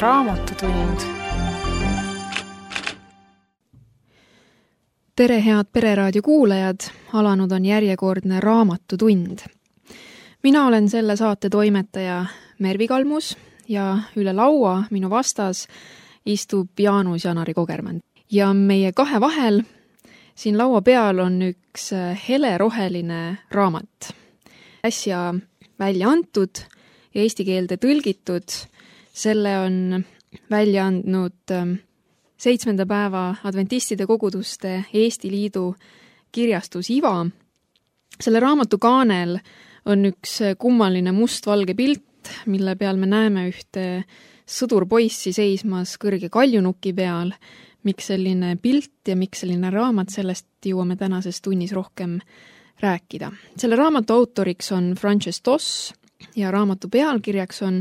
Raamatutund. Tere, head Pereraadio kuulajad! Alanud on järjekordne Raamatutund. Mina olen selle saate toimetaja Mervi Kalmus ja üle laua minu vastas istub Jaanus Janari Kogermann. Ja meie kahe vahel siin laua peal on üks heleroheline raamat. Äsja välja antud ja eesti keelde tõlgitud. Selle on välja andnud 7. päeva adventistide koguduste Eesti Liidu kirjastus IVA. Selle raamatu kaanel on üks kummaline mustvalge pilt, mille peal me näeme ühte sõdurpoissi seismas kõrge kaljunuki peal. Miks selline pilt ja miks selline raamat, sellest jõuame tänases tunnis rohkem rääkida. Selle raamatu autoriks on Frances Doss ja raamatu pealkirjaks on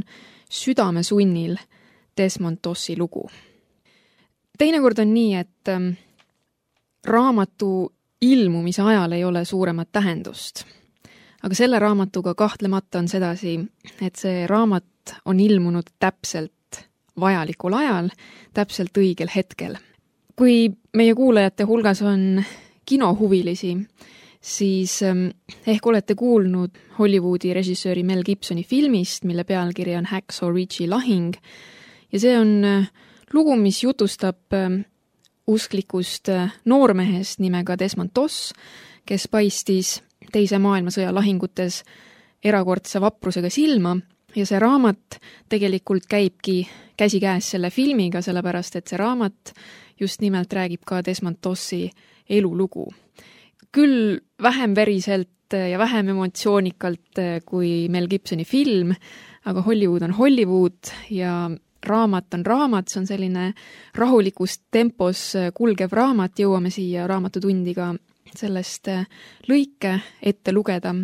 Südame sunnil Desmond Dossi lugu. Teinekord on nii, et raamatu ilmumise ajal ei ole suuremat tähendust. Aga selle raamatuga kahtlemata on sedasi, et see raamat on ilmunud täpselt vajalikul ajal, täpselt õigel hetkel. Kui meie kuulajate hulgas on kinohuvilisi, siis ehk olete kuulnud Hollywoodi režissööri Mel Gibsoni filmist, mille pealkiri on Hacksaw Ridge'i lahing. Ja see on lugu, mis jutustab usklikust noormehest nimega Desmond Doss, kes paistis Teise maailmasõja lahingutes erakordse vaprusega silma. Ja see raamat tegelikult käibki käsikäes selle filmiga, sellepärast et see raamat just nimelt räägib ka Desmond Dossi elulugu. Küll vähem veriselt ja vähem emotsioonikalt kui Mel Gibsoni film, aga Hollywood on Hollywood ja raamat on raamat, see on selline rahulikus tempos kulgev raamat, jõuame siia raamatutundiga sellest lõike ette lugeda.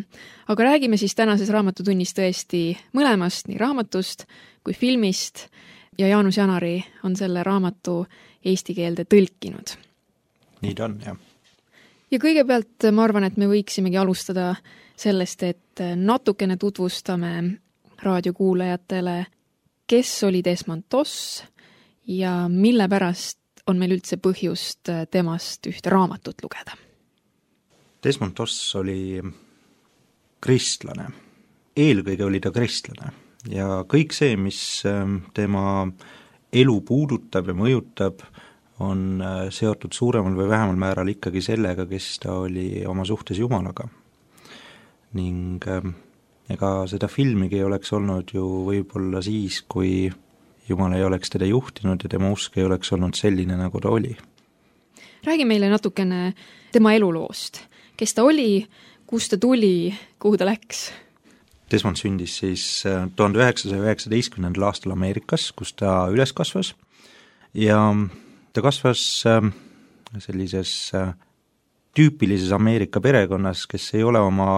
Aga räägime siis tänases raamatutunnis tõesti mõlemast, nii raamatust kui filmist ja Jaanus Janari on selle raamatu eesti keelde tõlkinud. Nii ta on, jah. Ja kõigepealt ma arvan, et me võiksimegi alustada sellest, et natukene tutvustame raadiokuulajatele, kes oli Desmond Doss ja mille pärast on meil üldse põhjust temast ühte raamatut lugeda. Desmond Doss oli kristlane. Eelkõige oli ta kristlane ja kõik see, mis tema elu puudutab ja mõjutab, on seotud suuremal või vähemal määral ikkagi sellega, kes ta oli oma suhtes Jumalaga. Ning ega seda filmigi ei oleks olnud ju võib-olla siis, kui Jumal ei oleks teda juhtinud ja tema usk ei oleks olnud selline, nagu ta oli. Räägi meile natukene tema eluloost. Kes ta oli, kust ta tuli, kuhu ta läks? Desmond sündis siis 1919. aastal Ameerikas, kus ta üles kasvas ja ta kasvas sellises tüüpilises Ameerika perekonnas, kes ei ole oma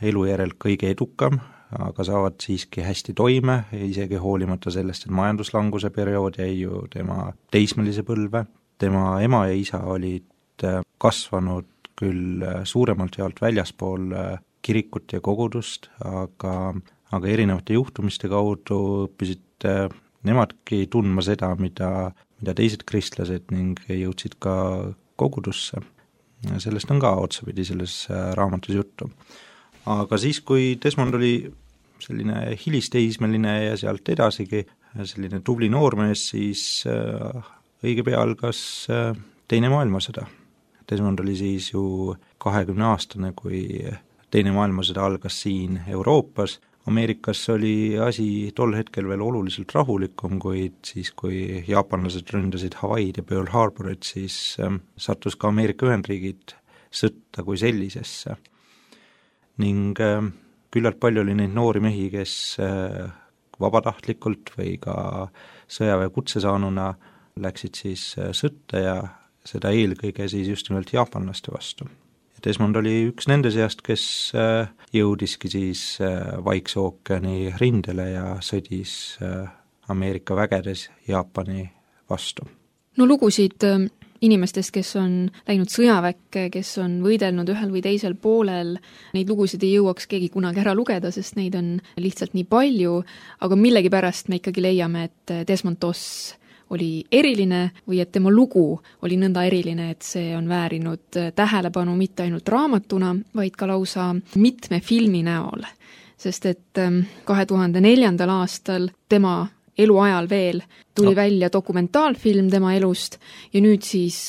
elu järel kõige edukam, aga saavad siiski hästi toime, isegi hoolimata sellest, et majanduslanguse periood jäi ju tema teismelise põlve. Tema ema ja isa olid kasvanud küll suuremalt jaolt väljaspool kirikut ja kogudust, aga erinevate juhtumiste kaudu õppisid nemadki tundma seda, mida teised kristlased ning jõudsid ka kogudusse. Sellest on ka otsapidi selles raamatus juttu. Aga siis, kui Desmond oli selline hilisteismeline ja sealt edasigi selline tubli noormees, siis õige pea algas Teine maailmasõda. Desmond oli siis ju 20-aastane, kui Teine maailmasõda algas siin Euroopas. Ameerikas oli asi tol hetkel veel oluliselt rahulikum, kuid siis, kui jaapanlased ründasid Hawaiid ja Pearl Harborit, siis sattus ka Ameerika Ühendriigid sõtta kui sellisesse. Ning küllalt palju oli neid noori mehi, kes vabatahtlikult või ka sõjaväe kutsesaanuna läksid siis sõtta ja seda eelkõige siis just nimelt jaapanlaste vastu. Desmond oli üks nende seast, kes jõudiski siis Vaikse ookeani rindele ja sõdis Ameerika vägedes Jaapani vastu. No lugusid inimestest, kes on läinud sõjaväkke, kes on võidelnud ühel või teisel poolel, neid lugusid ei jõuaks keegi kunagi ära lugeda, sest neid on lihtsalt nii palju, aga millegipärast me ikkagi leiame, et Desmond Doss oli eriline või et tema lugu oli nõnda eriline, et see on väärinud tähelepanu mitte ainult raamatuna, vaid ka lausa mitme filmi näol. Sest et 2004. aastal tema eluajal veel tuli välja dokumentaalfilm tema elust ja nüüd siis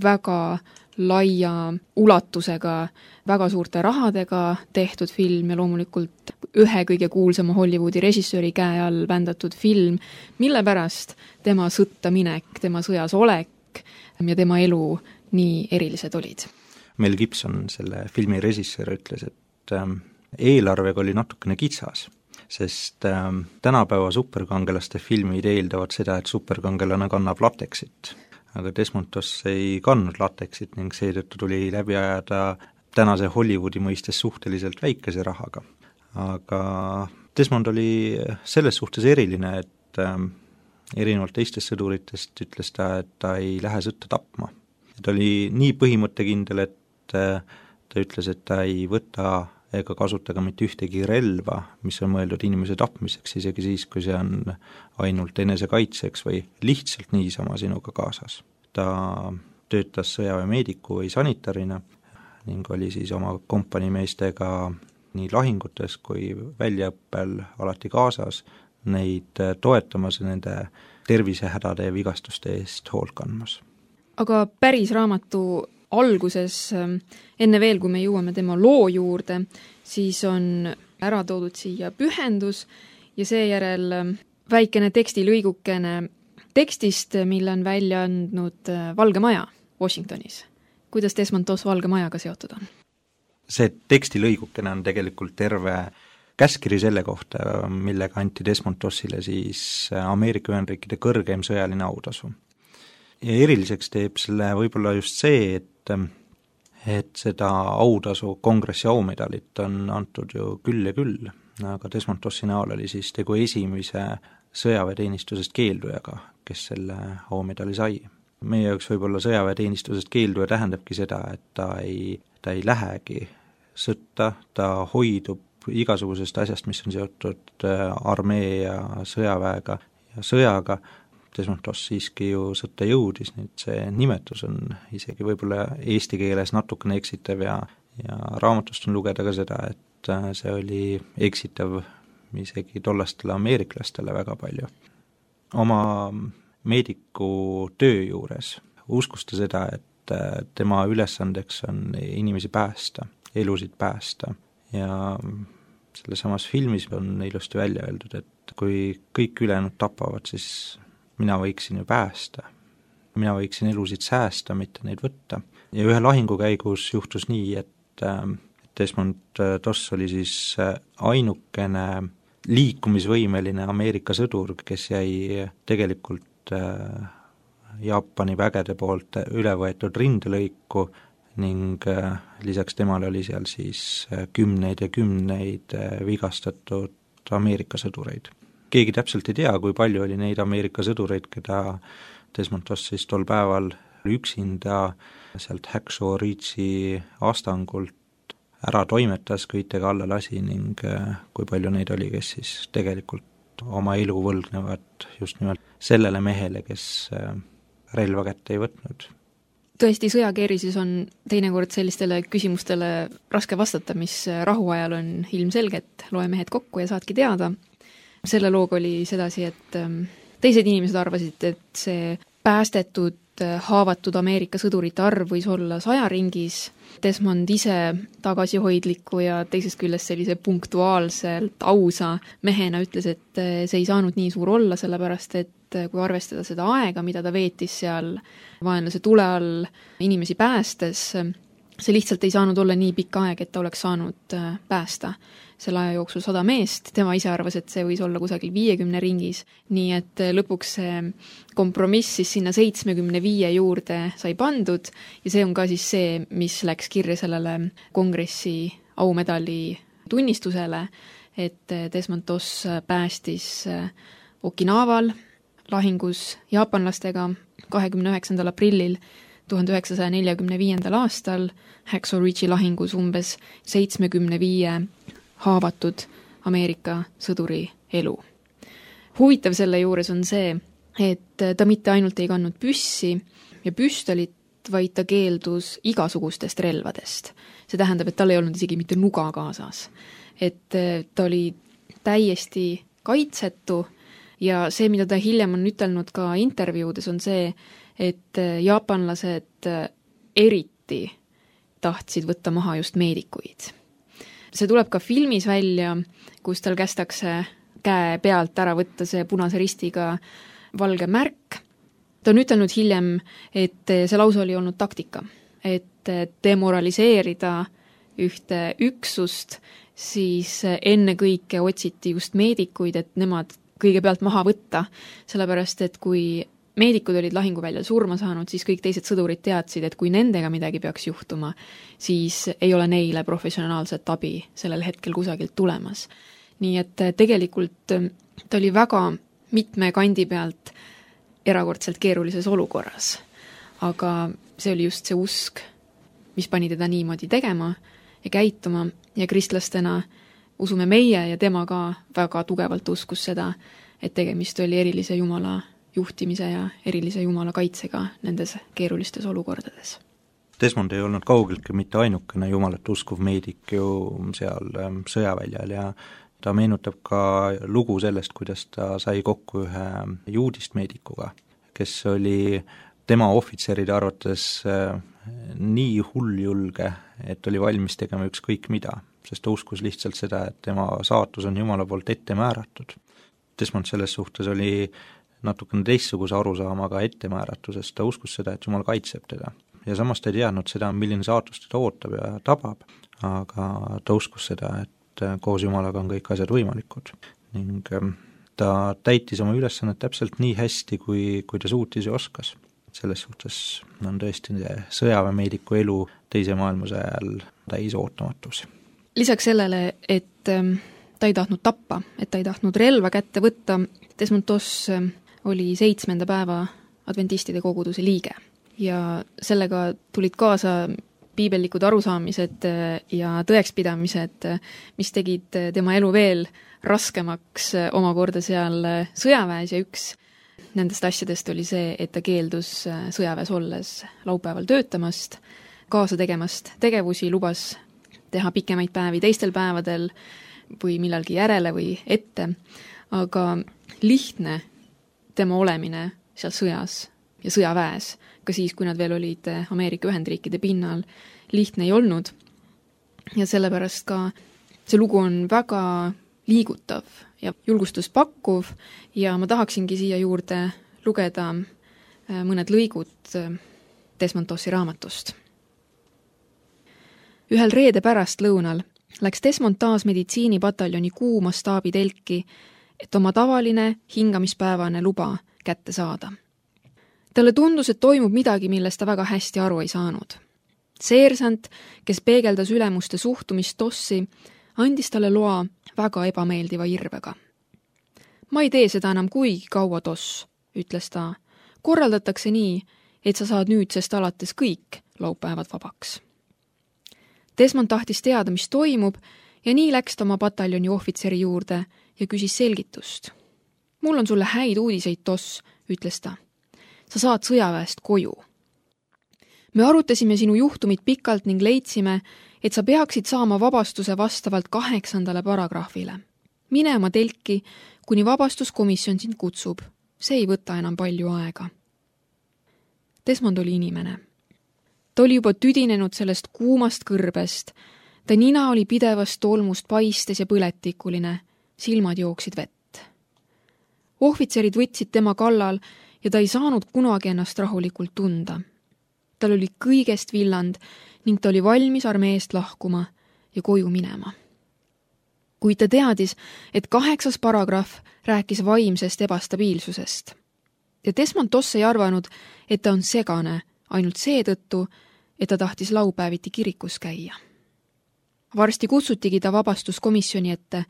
väga laia ulatusega, väga suurte rahadega tehtud film ja loomulikult ühe kõige kuulsama Hollywoodi režissööri käe all vändatud film, mille pärast tema sõtta minek, tema sõjas olek ja tema elu nii erilised olid. Mel Gibson, selle filmi režissöör, ütles, et eelarvega oli natukene kitsas, sest tänapäeva superkangelaste filmid eeldavad seda, et superkangelane kannab lateksit. Aga Desmond Doss ei kandnud lateksit ning seetõttu tuli läbi ajada tänase Hollywoodi mõistes suhteliselt väikese rahaga. Aga Desmond oli selles suhtes eriline, et erinevalt teistest sõduritest ütles ta, et ta ei lähe sõtta tapma. Ta oli nii põhimõttekindel, et ta ütles, et ta ei võta ega kasuta ka mitte ühtegi relva, mis on mõeldud inimese tapmiseks, isegi siis, kui see on ainult enesekaitseks või lihtsalt niisama sinuga kaasas. Ta töötas sõjaväemeediku või sanitarina ning oli siis oma kompaniimeestega nii lahingutes kui väljaõppel alati kaasas, neid toetamas ja nende tervisehädade ja vigastuste eest hoolt kandmas. Aga päris raamatu alguses, enne veel, kui me jõuame tema loo juurde, siis on ära toodud siia pühendus ja seejärel väikene tekstilõigukene tekstist, mille on välja andnud Valge Maja Washingtonis. Kuidas Desmond Doss Valge Majaga seotud on? See tekstilõigukene on tegelikult terve käskiri selle kohta, millega anti Desmond Dossile siis Ameerika Ühendriikide kõrgeim sõjaline autasu. Ja eriliseks teeb selle võib-olla just see, et seda autasu kongressi aumedalit on antud ju küll ja küll, aga Desmond Dossi näol oli siis tegu esimese sõjaväeteenistusest keeldujaga, kes selle aumedali sai. Meie jaoks võib-olla sõjaväeteenistusest keelduja tähendabki seda, et ta ei lähegi sõtta, ta hoidub igasugusest asjast, mis on seotud armee ja sõjaväega ja sõjaga. Desmond Doss siiski ju sõtta jõudis, nüüd see nimetus on isegi võib-olla eesti keeles natukene eksitav ja raamatust on lugeda ka seda, et see oli eksitav isegi tollastele ameeriklastele väga palju. Oma meediku töö juures uskus ta seda, et tema ülesandeks on inimesi päästa, elusid päästa ja selle samas filmis on ilusti välja öeldud, et kui kõik ülejäänud tapavad, siis mina võiksin ju päästa. Mina võiksin elusid säästa, mitte neid võtta. Ja ühe lahingu käigus juhtus nii, et Desmond Doss oli siis ainukene liikumisvõimeline Ameerika sõdur, kes jäi tegelikult Jaapani vägede poolt üle võetud rindelõiku ning lisaks temale oli seal siis kümneid ja kümneid vigastatud Ameerika sõdureid. Keegi täpselt ei tea, kui palju oli neid Ameerika sõdureid, keda Desmond Doss siis tol päeval üksinda sealt Hacksaw Ridge'i astangult ära toimetas, kõitega alla lasi ning kui palju neid oli, kes siis tegelikult oma elu võlgnevad just nimelt sellele mehele, kes relva kätte ei võtnud. Tõesti, sõjakeerises on teinekord sellistele küsimustele raske vastata, mis rahuajal on ilmselged, loe mehed kokku ja saadki teada. Selle looga oli sedasi, et teised inimesed arvasid, et see päästetud, haavatud Ameerika sõdurite arv võis olla 100 ringis. Desmond ise tagasihoidliku ja teisest küljest sellise punktuaalselt ausa mehena ütles, et see ei saanud nii suur olla, sellepärast et kui arvestada seda aega, mida ta veetis seal vaenlase tule all inimesi päästes, see lihtsalt ei saanud olla nii pikk aeg, et ta oleks saanud päästa selle aja jooksul 100 meest, tema ise arvas, et see võis olla kusagil 50 ringis, nii et lõpuks see kompromiss siis sinna 75 juurde sai pandud ja see on ka siis see, mis läks kirja sellele kongressi aumedali tunnistusele, et Desmond Doss päästis Okinaval lahingus jaapanlastega 29. aprillil 1945. aastal Hacksaw Ridge'i lahingus umbes 75 haavatud Ameerika sõduri elu. Huvitav selle juures on see, et ta mitte ainult ei kandnud püssi ja püstolit, vaid ta keeldus igasugustest relvadest. See tähendab, et tal ei olnud isegi mitte nuga kaasas. Et ta oli täiesti kaitsetu ja see, mida ta hiljem on ütelnud ka intervjuudes, on see, et jaapanlased eriti tahtsid võtta maha just meedikuid. See tuleb ka filmis välja, kus tal kästakse käe pealt ära võtta see punase ristiga valge märk. Ta on ütelnud hiljem, et see lause oli olnud taktika, et demoraliseerida ühte üksust, siis enne kõike otsiti just meedikuid, et nemad kõigepealt maha võtta, sellepärast et kui meedikud olid lahinguväljal surma saanud, siis kõik teised sõdurid teadsid, et kui nendega midagi peaks juhtuma, siis ei ole neile professionaalset abi sellel hetkel kusagilt tulemas. Nii et tegelikult ta oli väga mitme kandi pealt erakordselt keerulises olukorras. Aga see oli just see usk, mis pani teda niimoodi tegema ja käituma ja kristlastena usume meie ja tema ka väga tugevalt uskus seda, et tegemist oli erilise Jumala juhtimise ja erilise Jumala kaitsega nendes keerulistes olukordades. Desmond ei olnud kaugeltki mitte ainukene Jumalat uskuv meedik ju seal sõjaväljal ja ta meenutab ka lugu sellest, kuidas ta sai kokku ühe juudist meedikuga, kes oli tema ohvitseride arvates nii hulljulge, et oli valmis tegema ükskõik mida, sest ta uskus lihtsalt seda, et tema saatus on Jumala poolt ette määratud. Desmond selles suhtes oli natukene teistsuguse arusaamaga ettemääratusest, ta uskus seda, et Jumal kaitseb teda. Ja samas ta ei teadnud seda, milline saatus teda ootab ja tabab, aga ta uskus seda, et koos Jumalaga on kõik asjad võimalikud. Ning ta täitis oma ülesannet täpselt nii hästi, kui ta suutis ja oskas. Selles suhtes on tõesti sõjaväemeediku elu teise maailmasõja ajal täis ootamatus. Lisaks sellele, et ta ei tahtnud tappa, et ta ei tahtnud relva kätte võtta, Desmond Doss oli 7. päeva adventistide koguduse liige ja sellega tulid kaasa piibellikud arusaamised ja tõekspidamised, mis tegid tema elu veel raskemaks omakorda seal sõjaväes ja üks nendest asjadest oli see, et ta keeldus sõjaväes olles laupäeval töötamast, kaasa tegemast tegevusi, lubas teha pikemaid päevi teistel päevadel või millalgi järele või ette, aga lihtne tema olemine seal sõjas ja sõjaväes, ka siis, kui nad veel olid Ameerika Ühendriikide pinnal, lihtne ei olnud. Ja sellepärast ka see lugu on väga liigutav ja julgustust pakkuv ja ma tahaksingi siia juurde lugeda mõned lõigud Desmond Dossi raamatust. Ühel reede pärast lõunal läks Desmond taas meditsiinipataljoni kuuma staabitelki, et oma tavaline hingamispäevane luba kätte saada. Talle tundus, et toimub midagi, millest ta väga hästi aru ei saanud. Seersant, kes peegeldas ülemuste suhtumist Dossi, andis talle loa väga ebameeldiva irvega. Ma ei tee seda enam kuigi kaua, Doss, ütles ta. Korraldatakse nii, et sa saad nüüdsest alates kõik laupäevad vabaks. Desmond tahtis teada, mis toimub ja nii läks ta oma pataljoni ohvitseri juurde ja küsis selgitust. Mul on sulle häid uudiseid, Doss, ütles ta. Sa saad sõjaväest koju. Me arutasime sinu juhtumit pikalt ning leidsime, et sa peaksid saama vabastuse vastavalt 8. paragrahvile. Mine oma telki, kuni vabastuskomisjon sind kutsub. See ei võta enam palju aega. Desmond oli inimene. Ta oli juba tüdinenud sellest kuumast kõrbest. Ta nina oli pidevast tolmust paistes ja põletikuline. Silmad jooksid vett. Ohvitserid võtsid tema kallal ja ta ei saanud kunagi ennast rahulikult tunda. Tal oli kõigest villand ning ta oli valmis armeest lahkuma ja koju minema. Kuid ta teadis, et 8. paragrahv rääkis vaimsest ebastabiilsusest. Ja Desmond Doss ei arvanud, et ta on segane ainult seetõttu, et ta tahtis laupäeviti kirikus käia. Varsti kutsutigi ta vabastuskomisjoni ette.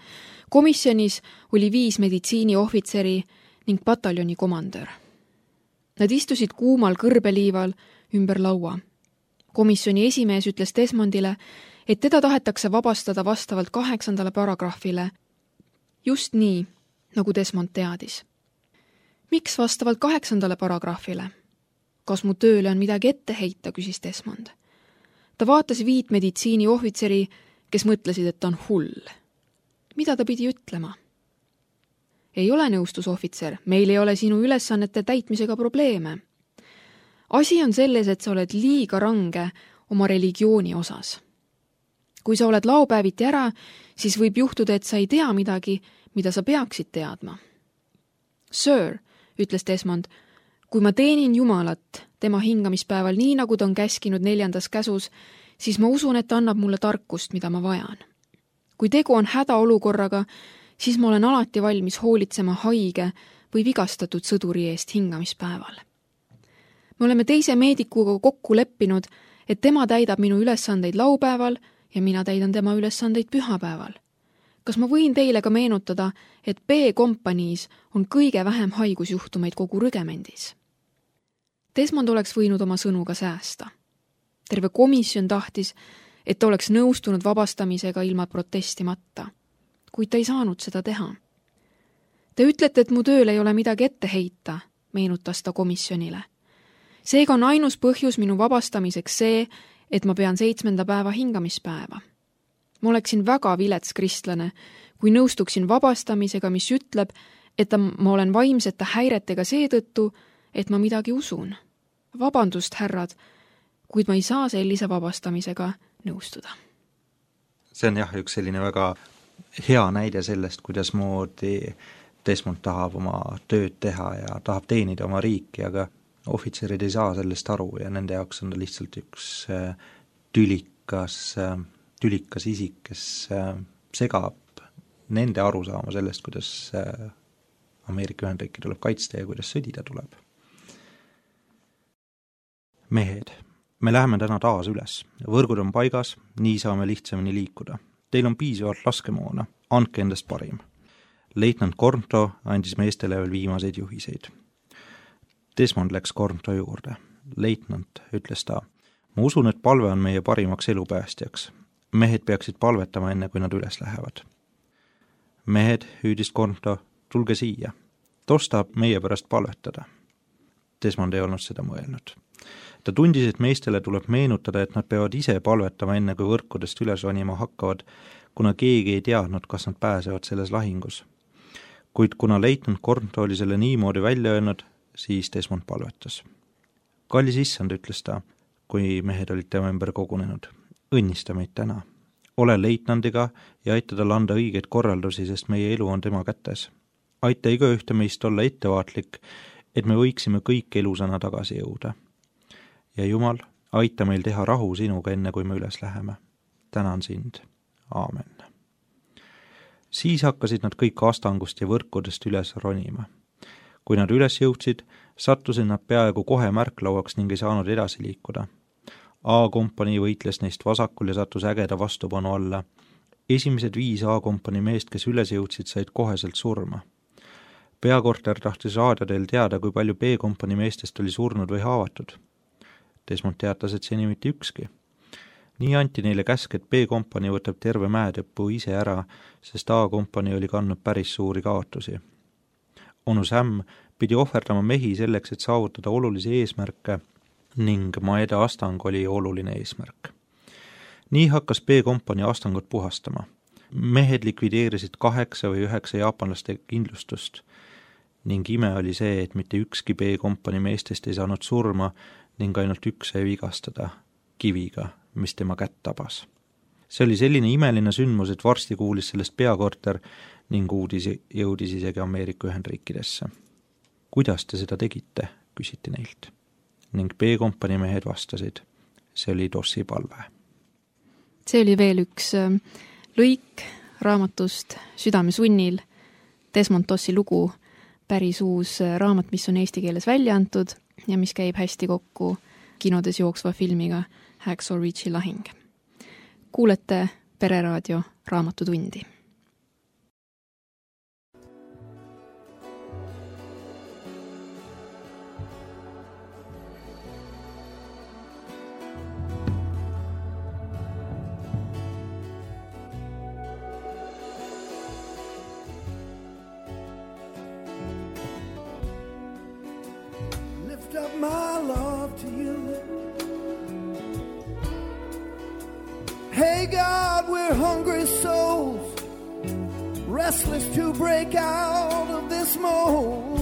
Komisjonis oli 5 meditsiiniohvitseri ning pataljoni komandör. Nad istusid kuumal kõrbeliival ümber laua. Komisjoni esimees ütles Desmondile, et teda tahetakse vabastada vastavalt 8. paragrahvile, just nii, nagu Desmond teadis. Miks vastavalt 8. paragrahvile? Kas mu tööle on midagi ette heita, küsis Desmond. Ta vaatas 5 meditsiiniohvitseri, kes mõtlesid, et ta on hull. Mida ta pidi ütlema? Ei ole, nõustus ohvitser, meil ei ole sinu ülesannete täitmisega probleeme. Asi on selles, et sa oled liiga range oma religiooni osas. Kui sa oled laupäeviti ära, siis võib juhtuda, et sa ei tea midagi, mida sa peaksid teadma. Sir, ütles Desmond, kui ma teenin Jumalat tema hingamispäeval nii, nagu ta on käskinud 4. käsus, siis ma usun, et ta annab mulle tarkust, mida ma vajan. Kui tegu on hädaolukorraga, siis ma olen alati valmis hoolitsema haige või vigastatud sõduri eest hingamispäeval. Me oleme teise meedikuga kokku leppinud, et tema täidab minu ülesandeid laupäeval ja mina täidan tema ülesandeid pühapäeval. Kas ma võin teile ka meenutada, et B-kompaniis on kõige vähem haigusjuhtumeid kogu rügemendis? Desmond oleks võinud oma sõnu ka säästa. Terve komisjon tahtis, et ta oleks nõustunud vabastamisega ilma protestimata, kuid ta ei saanud seda teha. Te ütlete, et mu tööl ei ole midagi ette heita, meenutas ta komisjonile. Seega on ainus põhjus minu vabastamiseks see, et ma pean 7. päeva hingamispäeva. Ma oleksin väga vilets kristlane, kui nõustuksin vabastamisega, mis ütleb, et ma olen vaimsete häiretega seetõttu, et ma midagi usun. Vabandust, härrad, kuid ma ei saa sellise vabastamisega nõustuda. See on jah, üks selline väga hea näide sellest, kuidas moodi Desmond tahab oma tööd teha ja tahab teenida oma riiki, aga ohvitserid ei saa sellest aru ja nende jaoks on ta lihtsalt üks tülikas isik, kes segab nende arusaama sellest, kuidas Ameerika Ühendriiki tuleb kaitsta ja kuidas sõdida tuleb. Mehed, me läheme täna taas üles. Võrgud on paigas, nii saame lihtsamini liikuda. Teil on piisavalt laskemoona, andke endast parim. Leitnant Kornto andis meestele veel viimaseid juhiseid. Desmond läks Kornto juurde. Leitnant, ütles ta, ma usun, et palve on meie parimaks elupäästjaks. Mehed peaksid palvetama enne, kui nad üles lähevad. Mehed, hüüdis Kornto, tulge siia. Tos tahab meie pärast palvetada. Desmond ei olnud seda mõelnud. Ta tundis, et meestele tuleb meenutada, et nad peavad ise palvetama enne, kui võrkudest üles ronima hakkavad, kuna keegi ei teadnud, kas nad pääsevad selles lahingus. Kuid kuna leitnant Kornto oli selle niimoodi välja öelnud, siis Desmond palvetas. Kallis issand, ütles ta, kui mehed olid tema ümber kogunenud. Õnnista meid täna. Ole leitnandiga ja aita tal anda õigeid korraldusi, sest meie elu on tema kätes. Aita igaühte meist olla ettevaatlik, et me võiksime kõik elusana tagasi jõuda. Ja Jumal, aita meil teha rahu sinuga enne, kui me üles läheme. Tänan sind. Aamen. Siis hakkasid nad kõik astangust ja võrkudest üles ronima. Kui nad üles jõudsid, sattusid nad peaaegu kohe märklauaks ning ei saanud edasi liikuda. A-kompanii võitles neist vasakul ja sattus ägeda vastupanu alla. Esimesed 5 A-kompanii meest, kes üles jõudsid, said koheselt surma. Peakorter tahtis raadiodel teada, kui palju B-kompanii meestest oli surnud või haavatud. Desmond teatas, et seni mitte ükski. Nii anti neile käsk, et B-kompanii võtab terve mäetõppu ise ära, sest A-kompanii oli kandnud päris suuri kaotusi. Onu Sam pidi ohverdama mehi selleks, et saavutada olulisi eesmärke ning Maeda astang oli oluline eesmärk. Nii hakkas B-kompanii astangut puhastama. Mehed likvideerisid 8 või 9 jaapanlaste kindlustust ning ime oli see, et mitte ükski B-kompanii meestest ei saanud surma ning ainult üks sai vigastada kiviga, mis tema kätt tabas. See oli selline imeline sündmus, et varsti kuulis sellest peakorter ning uudis jõudis isegi Ameerika Ühendriikidesse. Kuidas te seda tegite, küsiti neilt. Ning B-kompanii mehed vastasid. See oli Tossi palve. See oli veel üks lõik raamatust Südamesunnil, Desmond Tossi lugu, päris uus raamat, mis on eesti keeles välja antud ja mis käib hästi kokku kinodes jooksva filmiga Hacksaw Ridge'i lahing. Kuulete Pereraadio Raamatutundi. to you. Hey God, we're hungry souls, restless to break out of this mold.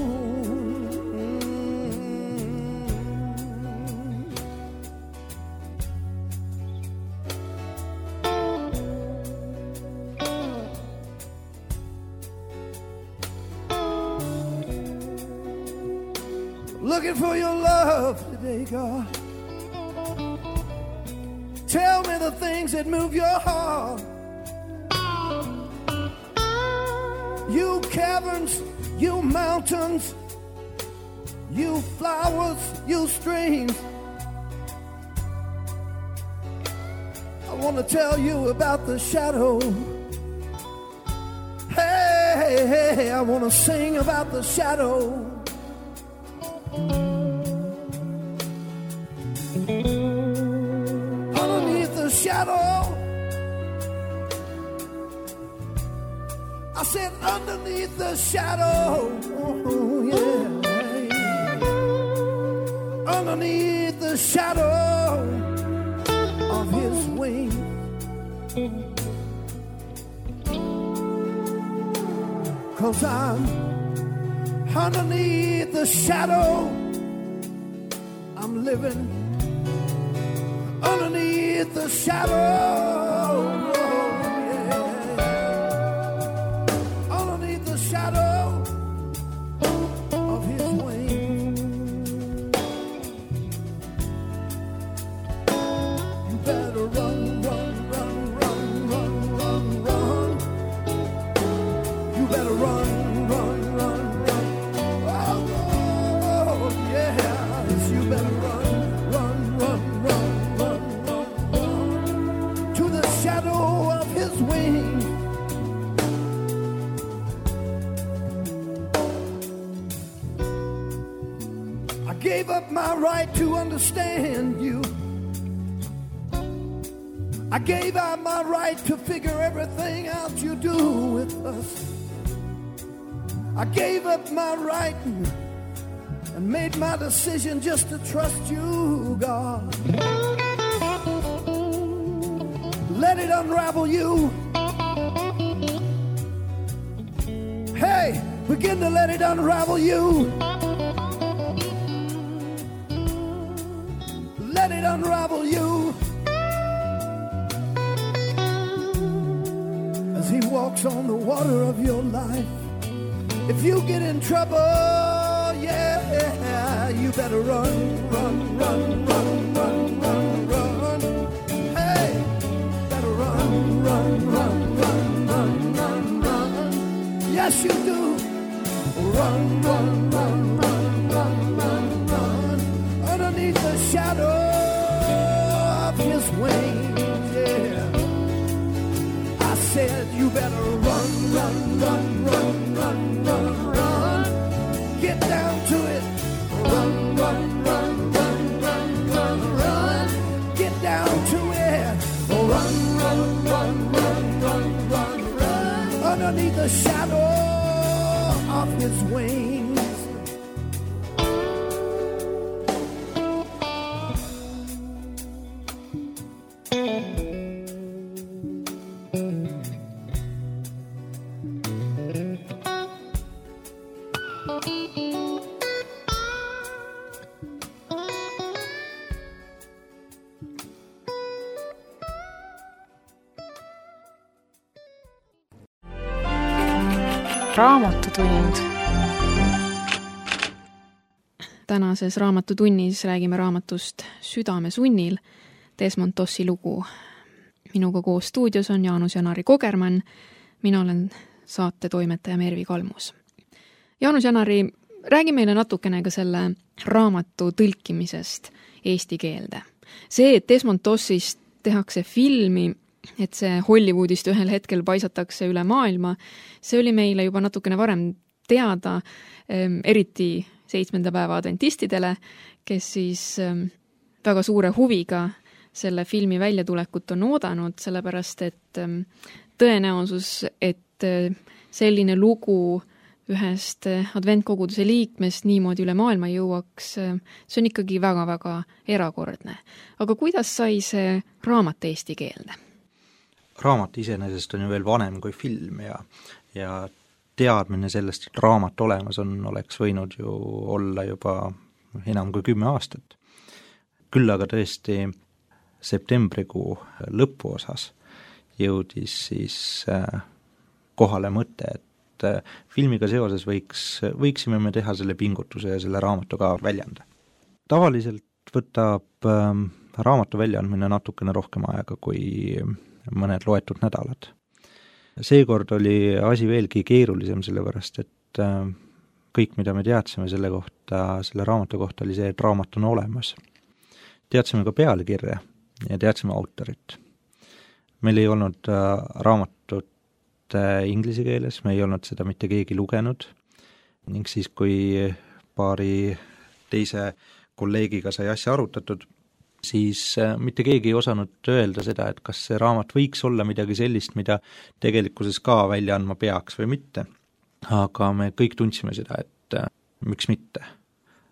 Looking for your love today, God. Tell me the things that move your heart. You caverns, you mountains, you flowers, you streams. I want to tell you about the shadow. Hey, I want to sing about the shadow. Underneath the shadow, I said underneath the shadow, oh, yeah. Underneath the shadow of his wings, cause I'm underneath the shadow. I'm living underneath the shadow. Shadow of his wings. You better run, run, run, run, run, run, run. You better run, run, run, run. Oh, yes, you better run, run, run, run, run, run, run. To the shadow of his wings. Gave up my right to understand you. I gave up my right to figure everything out you do with us. I gave up my right and made my decision just to trust you, God. Let it unravel you. Hey, begin to let it unravel you. Let it unravel you as he walks on the water of your life. If you get in trouble, yeah, you better run, run, run, run, run, run, run. Hey, better run, run, run, run, run, run, run. Yes, you do. Run, run, run, run, run, run, run. Underneath the shadow of his wings, yeah. I said you better run, run, run, run, run, run, run. Get down to it. Run, run, run, run, run, run, run. Get down to it. Run, run, run, run, run, run, run. Underneath the shadow of his wings. Raamatutund. Tänases raamatutunnis räägime raamatust Südamesunnil, Desmond Dossi lugu. Minuga koos stuudios on Jaanus Janari Kogermann, mina olen saate toimetaja Mervi Kalmus. Jaanus Janari, räägi meile natukene ka selle raamatu tõlkimisest eesti keelde. See, et Desmond Dossist tehakse filmi, et see Hollywoodist ühel hetkel paisatakse üle maailma, see oli meile juba natukene varem teada, eriti 7. päeva adventistidele, kes siis väga suure huviga selle filmi väljatulekut on oodanud, sellepärast et tõenäosus, et selline lugu ühest adventkoguduse liikmest niimoodi üle maailma jõuaks, see on ikkagi väga-väga erakordne. Aga kuidas sai see raamat eesti keelde? Raamat iseenesest on ju veel vanem kui film ja teadmine sellest, et raamat olemas on, oleks võinud ju olla juba enam kui 10 aastat. Küll aga tõesti septembrikuu lõpuosas jõudis siis kohale mõte, et filmiga seoses võiksime me teha selle pingutuse ja selle raamatu ka välja anda. Tavaliselt võtab raamatu väljaandmine natukene rohkem aega kui mõned loetud nädalad. Seekord oli asi veelgi keerulisem, sellepärast et kõik, mida me teadsime selle raamatu kohta, oli see, et raamat on olemas. Teadsime ka pealkirja ja teadsime autorit. Meil ei olnud raamatut inglise keeles, me ei olnud seda mitte keegi lugenud ning siis, kui paari teise kolleegiga sai asja arutatud, siis mitte keegi ei osanud öelda seda, et kas see raamat võiks olla midagi sellist, mida tegelikkuses ka välja andma peaks või mitte. Aga me kõik tundsime seda, et miks mitte.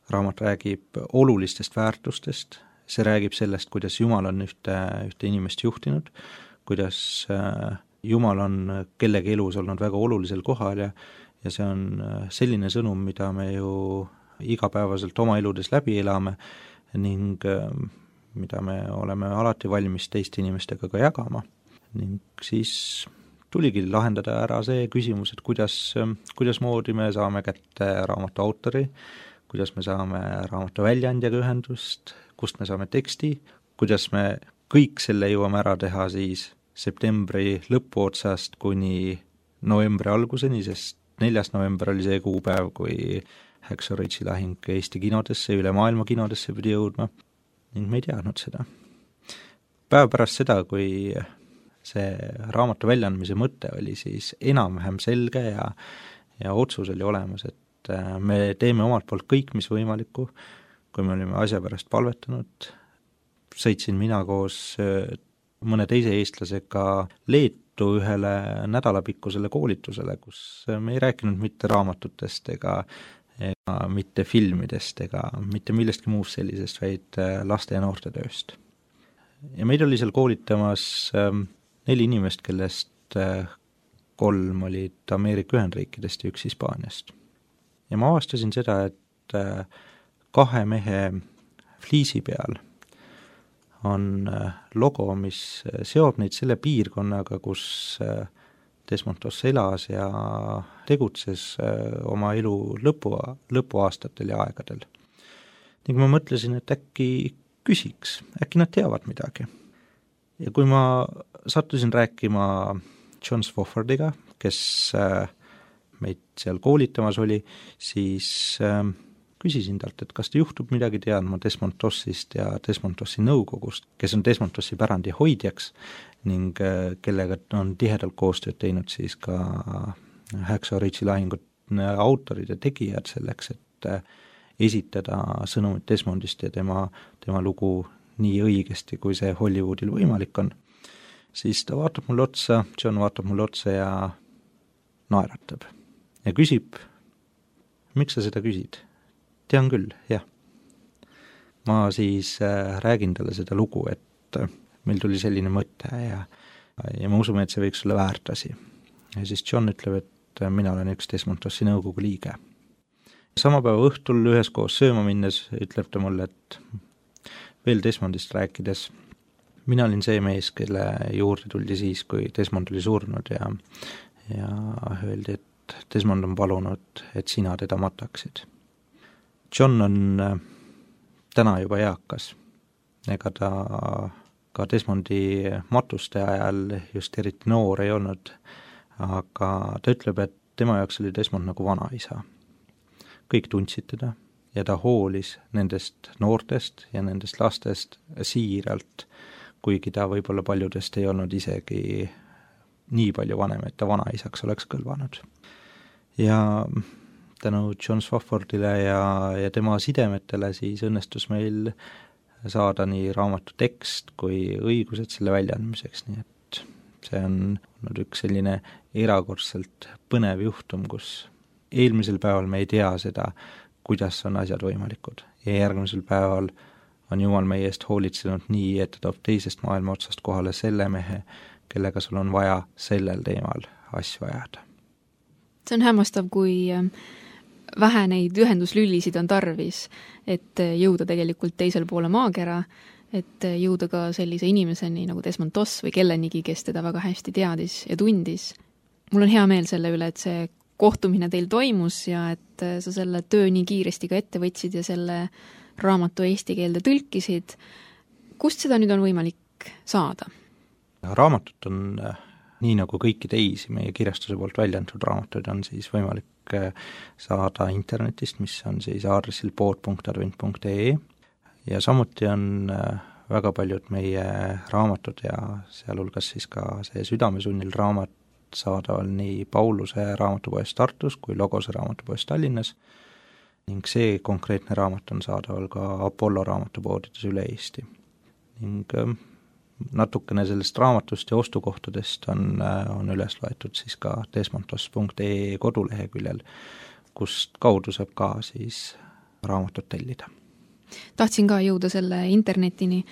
Raamat räägib olulistest väärtustest, see räägib sellest, kuidas Jumal on ühte inimest juhtinud, kuidas Jumal on kellegi elus olnud väga olulisel kohal ja see on selline sõnum, mida me ju igapäevaselt oma eludes läbi elame ning mida me oleme alati valmis teiste inimestega ka jagama. Ning siis tuligi lahendada ära see küsimus, et kuidas moodi me saame kätte raamatu autori, kuidas me saame raamatu väljaandjaga ühendust, kust me saame teksti, kuidas me kõik selle jõuame ära teha siis septembri lõpuotsast kuni novembri alguseni, sest 4. november oli see kuupäev, kui Hacksaw Ridge'i lahing Eesti kinodesse, üle maailma kinodesse pidi jõudma ning me ei teadnud seda. Päev pärast seda, kui see raamatu väljaandmise mõte oli siis enam-vähem selge ja otsus oli olemas, et me teeme omalt poolt kõik, mis võimalikku, kui me olime asja pärast palvetanud, sõitsin mina koos mõne teise eestlasega Leetu ühele nädalapikkusele koolitusele, kus me ei rääkinud mitte raamatutest ega mitte filmidest ega mitte millestki muust sellisest, vaid laste ja noorte tööst. Ja meid oli seal koolitamas 4 inimest, kellest 3 olid Ameerika Ühendriikidest ja 1 Hispaaniast. Ja ma avastasin seda, et 2 mehe fliisi peal on logo, mis seob neid selle piirkonnaga, kus Desmond Doss elas ja tegutses oma elu lõpuaastatel ja aegadel. Ning ma mõtlesin, et äkki küsiks, äkki nad teavad midagi. Ja kui ma sattusin rääkima John Swoffordiga, kes meid seal koolitamas oli, siis küsisin talt, et kas ta juhtub midagi teadma Desmond Dossist ja Desmond Dossi nõukogust, kes on Desmond Dossi pärandi hoidjaks ning kellega on tihedalt koostööd teinud siis ka Hacksaw Ridge'i lahingut autorid ja tegijad selleks, et esitada sõnumit Desmondist ja tema lugu nii õigesti, kui see Hollywoodil võimalik on. Siis ta vaatab mulle otsa, John vaatab mulle otsa ja naeratab ja küsib, miks sa seda küsid? Tean küll, jah. Ma siis räägin talle seda lugu, et meil tuli selline mõte ja me usume, et see võiks olla väärt asi. Ja siis John ütleb, et mina olen üks Desmond Dossi nõukogu liige. Sama päeva õhtul üheskoos sööma minnes ütleb ta mulle, et veel Desmondist rääkides, mina olin see mees, kelle juurde tuldi siis, kui Desmond oli surnud ja öeldi, et Desmond on palunud, et sina teda mataksid. John on täna juba eakas, ega ta ka Desmondi matuste ajal just eriti noor ei olnud, aga ta ütleb, et tema jaoks oli Desmond nagu vanaisa. Kõik tundsid teda ja ta hoolis nendest noortest ja nendest lastest siiralt, kuigi ta võib-olla paljudest ei olnud isegi nii palju vanem, et ta vanaisaks oleks kõlvanud. Ja tänu John Swoffordile ja tema sidemetele siis õnnestus meil saada nii raamatu tekst kui õigused selle väljaandmiseks, nii et see on olnud üks selline erakordselt põnev juhtum, kus eelmisel päeval me ei tea seda, kuidas on asjad võimalikud ja järgmisel päeval on Jumal meie eest hoolitsenud nii, et ta toob teisest maailma otsast kohale selle mehe, kellega sul on vaja sellel teemal asju ajada. See on hämmastav, kui vähe neid ühenduslüllisid on tarvis, et jõuda tegelikult teisel poole maakera, et jõuda ka sellise inimeseni nagu Desmond Doss või kellenigi, kes teda väga hästi teadis ja tundis. Mul on hea meel selle üle, et see kohtumine teil toimus ja et sa selle töö nii kiiresti ka ette võtsid ja selle raamatu eesti keelde tõlkisid. Kust seda nüüd on võimalik saada? Raamatut on nii nagu kõiki teisi meie kirjastuse poolt välja antud raamatuid on siis võimalik saada internetist, mis on siis aadressil pood.advent.ee ja samuti on väga paljud meie raamatud ja sealhulgas siis ka see Südamesunnil raamat saadaval nii Pauluse raamatupoest Tartus kui Logose raamatupoest Tallinnas ning see konkreetne raamat on saadaval ka Apollo raamatupoodides üle Eesti. Ning natukene sellest raamatust ja ostukohtadest on üles loetud siis ka desmondos.ee koduleheküljel, kust kaudu saab ka siis raamatut tellida. Tahtsin ka jõuda selle internetini,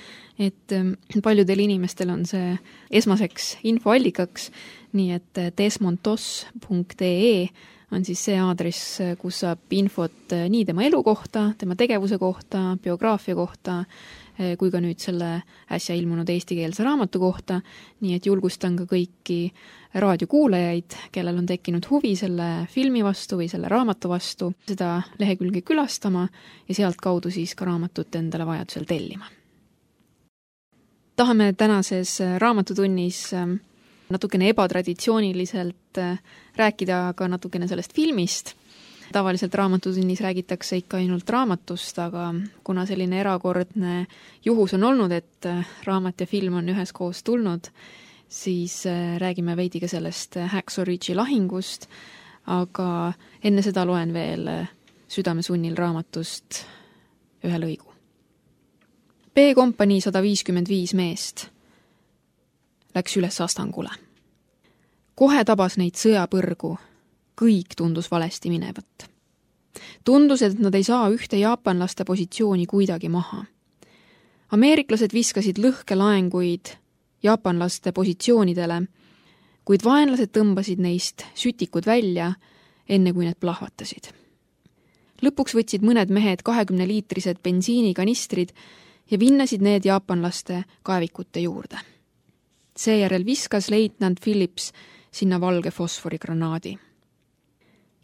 et paljudel inimestel on see esmaseks infoallikaks, nii et desmondos.ee on siis see aadress, kus saab infot nii tema elu kohta, tema tegevuse kohta, biograafia kohta, kui ka nüüd selle äsja ilmunud eestikeelse raamatu kohta, nii et julgustan ka kõiki raadiokuulajaid, kellel on tekkinud huvi selle filmi vastu või selle raamatu vastu, seda lehekülge külastama ja sealt kaudu siis ka raamatut endale vajadusel tellima. Tahame tänases raamatutunnis natukene ebatraditsiooniliselt rääkida ka natukene sellest filmist. Tavaliselt raamatutunnis räägitakse ikka ainult raamatust, aga kuna selline erakordne juhus on olnud, et raamat ja film on üheskoos tulnud, siis räägime veidi ka sellest Hacksaw Ridge'i lahingust, aga enne seda loen veel Südamesunnil raamatust ühe lõigu. B-kompanii 155 meest läks üles Astangule. Kohe tabas neid sõjapõrgu. Kõik tundus valesti minevat. Tundus, et nad ei saa ühte jaapanlaste positsiooni kuidagi maha. Ameeriklased viskasid lõhkelaenguid jaapanlaste positsioonidele, kuid vaenlased tõmbasid neist sütikud välja, enne kui need plahvatasid. Lõpuks võtsid mõned mehed 20-liitrised bensiinikanistrid ja vinnasid need jaapanlaste kaevikute juurde. Seejärel viskas leitnant Phillips sinna valge fosforigranaadi.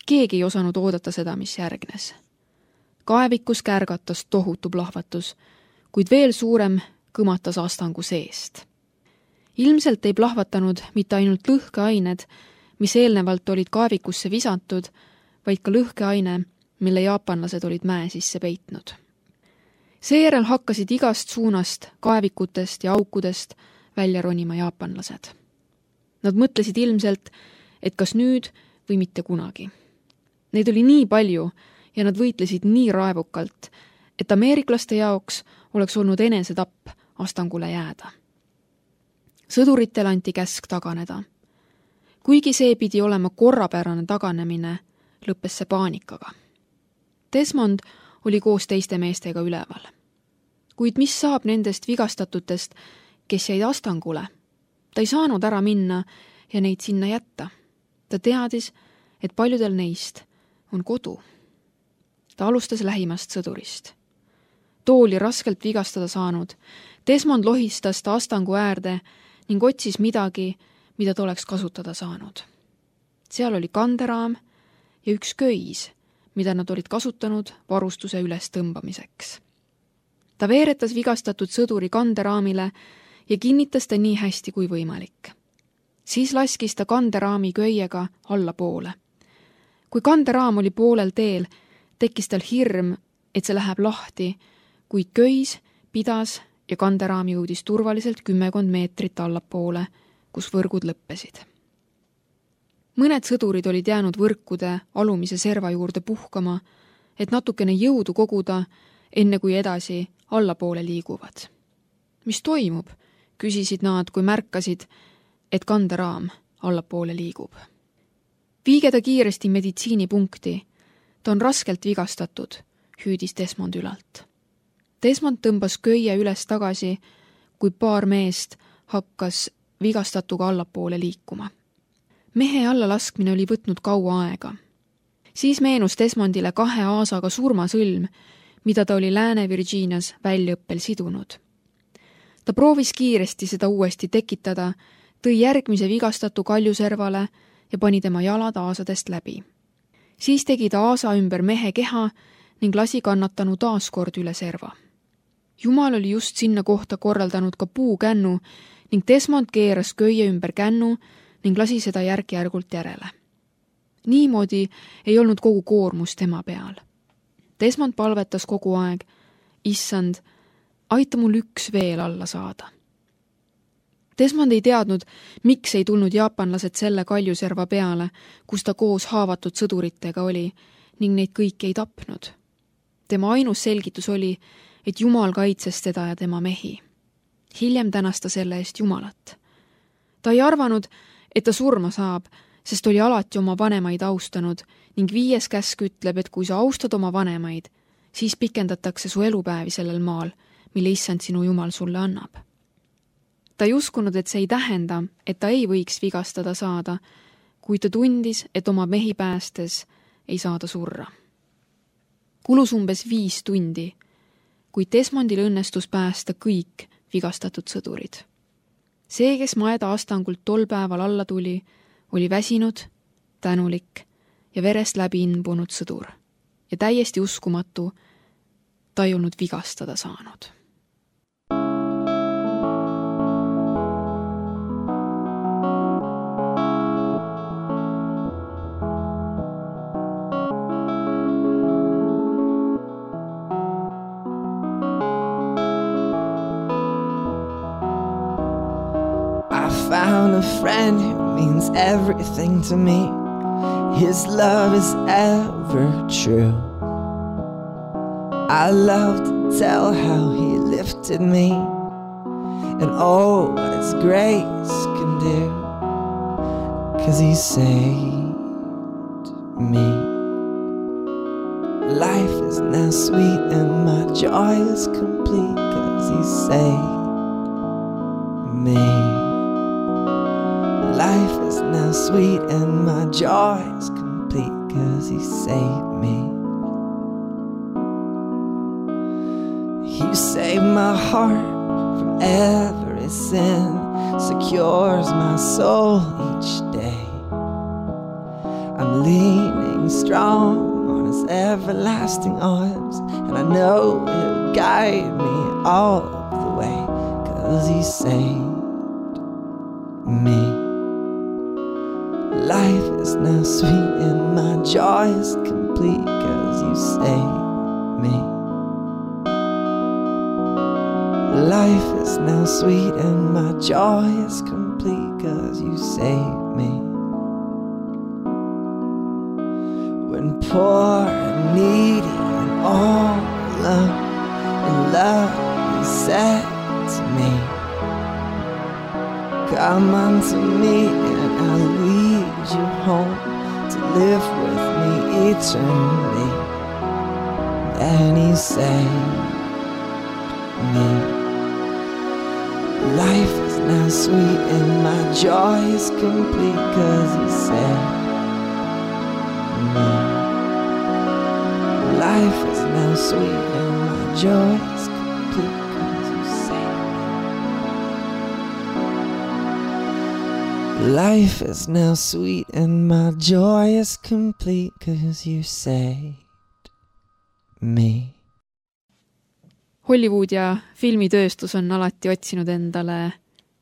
Keegi ei osanud oodata seda, mis järgnes. Kaevikus kärgatas tohutu plahvatus, kuid veel suurem kõmatas Astangu seest. Ilmselt ei plahvatanud mitte ainult lõhkeained, mis eelnevalt olid kaevikusse visatud, vaid ka lõhkeaine, mille jaapanlased olid mäe sisse peitnud. Seejärel hakkasid igast suunast, kaevikutest ja aukudest välja ronima jaapanlased. Nad mõtlesid ilmselt, et kas nüüd või mitte kunagi. Neid oli nii palju ja nad võitlesid nii raevukalt, et ameeriklaste jaoks oleks olnud enesetapp Astangule jääda. Sõduritele anti käsk taganeda. Kuigi see pidi olema korrapärane taganemine, lõppes see paanikaga. Desmond oli koos teiste meestega üleval. Kuid mis saab nendest vigastatutest, kes jäid Astangule? Ta ei saanud ära minna ja neid sinna jätta. Ta teadis, et paljudel neist on kodu. Ta alustas lähimast sõdurist. Too oli raskelt vigastada saanud. Desmond lohistas ta Astangu äärde ning otsis midagi, mida ta oleks kasutada saanud. Seal oli kanderaam ja üks köis, mida nad olid kasutanud varustuse üles tõmbamiseks. Ta veeretas vigastatud sõduri kanderaamile ja kinnitas ta nii hästi kui võimalik. Siis laskis ta kanderaami köiega allapoole. Kui kanderaam oli poolel teel, tekkis tal hirm, et see läheb lahti, kuid köis pidas ja kanderaam jõudis turvaliselt 10 meetrit allapoole, kus võrgud lõppesid. Mõned sõdurid olid jäänud võrkude alumise serva juurde puhkama, et natukene jõudu koguda, enne kui edasi allapoole liiguvad. Mis toimub? Küsisid nad, kui märkasid, et kanderaam allapoole liigub. Viige ta kiiresti meditsiinipunkti. Ta on raskelt vigastatud, hüüdis Desmond ülalt. Desmond tõmbas köie üles tagasi, kui paar meest hakkas vigastatuga allapoole liikuma. Mehe allalaskmine oli võtnud kaua aega. Siis meenus Desmondile 2 aasaga surmasõlm, mida ta oli Lääne-Virginias väljaõppel sidunud. Ta proovis kiiresti seda uuesti tekitada, tõi järgmise vigastatu kaljuservale ja pani tema jalad aasadest läbi. Siis tegi ta aasa ümber mehe keha ning lasi kannatanu taaskord üle serva. Jumal oli just sinna kohta korraldanud ka puukännu ning Desmond keeras köie ümber kännu ning lasi seda järk-järgult järele. Niimoodi ei olnud kogu koormus tema peal. Desmond palvetas kogu aeg, issand, aita mul üks veel alla saada. Desmond ei teadnud, miks ei tulnud jaapanlased selle kaljuserva peale, kus ta koos haavatud sõduritega oli, ning neid kõiki ei tapnud. Tema ainus selgitus oli, et Jumal kaitses teda ja tema mehi. Hiljem tänas ta selle eest Jumalat. Ta ei arvanud, et ta surma saab, sest oli alati oma vanemaid austanud ning 5. käsk ütleb, et kui sa austad oma vanemaid, siis pikendatakse su elupäevi sellel maal, mille issand sinu Jumal sulle annab. Ta ei uskunud, et see ei tähenda, et ta ei võiks vigastada saada, kuid ta tundis, et oma mehi päästes ei saada surra. Kulus umbes 5 tundi, kuid Desmondil õnnestus päästa kõik vigastatud sõdurid. See, kes Maeda astangult tol päeval alla tuli, oli väsinud, tänulik ja verest läbi imbunud sõdur ja täiesti uskumatu, ta ei olnud vigastada saanud. Found a friend who means everything to me. His love is ever true. I love to tell how he lifted me and oh, what his grace can do, 'cause he saved me. Life is now sweet and my joy is complete, 'cause he saved me. Life is now sweet and my joy is complete, 'cause he saved me. He saved my heart from every sin, secures my soul each day. I'm leaning strong on his everlasting arms, and I know he'll guide me all of the way, 'cause he saved me. Life is now sweet and my joy is complete, 'cause you saved me. Life is now sweet and my joy is complete, 'cause you saved me. When poor and needy and all alone in love, he said to me, come unto me and I'll lead you home to live with me eternally. And he saved me. Life is now sweet and my joy is complete, 'cause he saved me. Life is now sweet and my joy is complete, 'cause you saved me. Life is now sweet and my joy is complete, 'cause you saved me. Hollywood ja filmitööstus on alati otsinud endale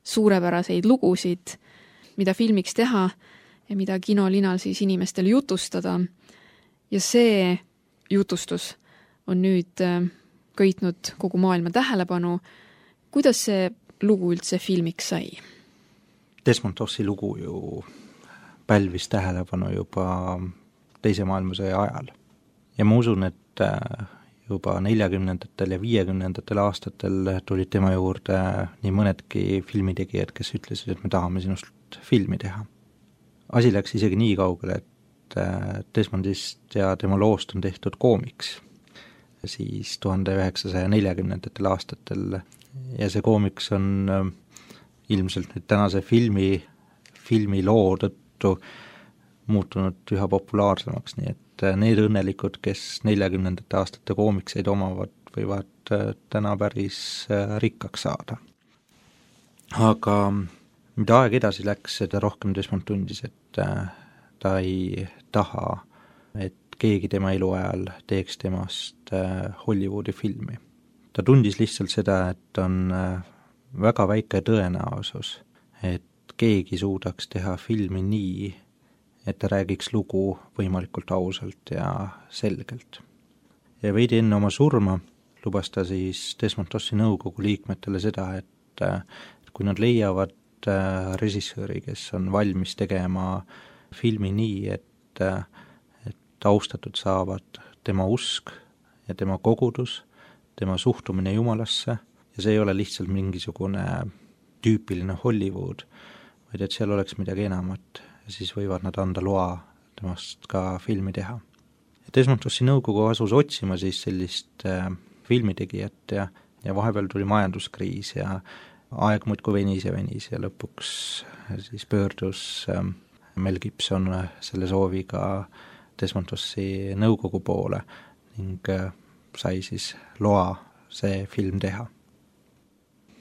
suurepäraseid lugusid, mida filmiks teha ja mida kinolinal siis inimestele jutustada. Ja see jutustus on nüüd köitnud kogu maailma tähelepanu. Kuidas see lugu üldse filmiks sai? Desmond Dossi lugu ju pälvis tähelepanu juba teise maailmasõja ajal. Ja ma usun, et juba 40. ja 50. aastatel tulid tema juurde nii mõnedki filmitegijad, kes ütlesid, et me tahame sinust filmi teha. Asi läks isegi nii kaugele, et Desmondist ja tema loost on tehtud koomiks siis 1940. aastatel ja see koomiks on ilmselt nüüd tänase filmi loo tõttu muutunud üha populaarsemaks, nii et need õnnelikud, kes 40. aastate koomikseid omavad, võivad täna päris rikkaks saada. Aga mida aeg edasi läks, seda rohkem Desmond tundis, et ta ei taha, et keegi tema eluajal teeks temast Hollywoodi filmi. Ta tundis lihtsalt seda, et on väga väike tõenäosus, et keegi suudaks teha filmi nii, et ta räägiks lugu võimalikult ausalt ja selgelt. Ja veidi enne oma surma lubas ta siis Desmond Dossi nõukogu liikmetele seda, et kui nad leiavad režissööri, kes on valmis tegema filmi nii, et austatud saavad tema usk ja tema kogudus, tema suhtumine Jumalasse ja see ei ole lihtsalt mingisugune tüüpiline Hollywood, vaid et seal oleks midagi enamat, siis võivad nad anda loa temast ka filmi teha. Desmond Dossi nõukogu asus otsima siis sellist filmitegijat ja vahepeal tuli majanduskriis ja aeg muudkui venis ja lõpuks siis pöördus Mel Gibson selle sooviga Desmond Dossi nõukogu poole ning sai siis loa see film teha.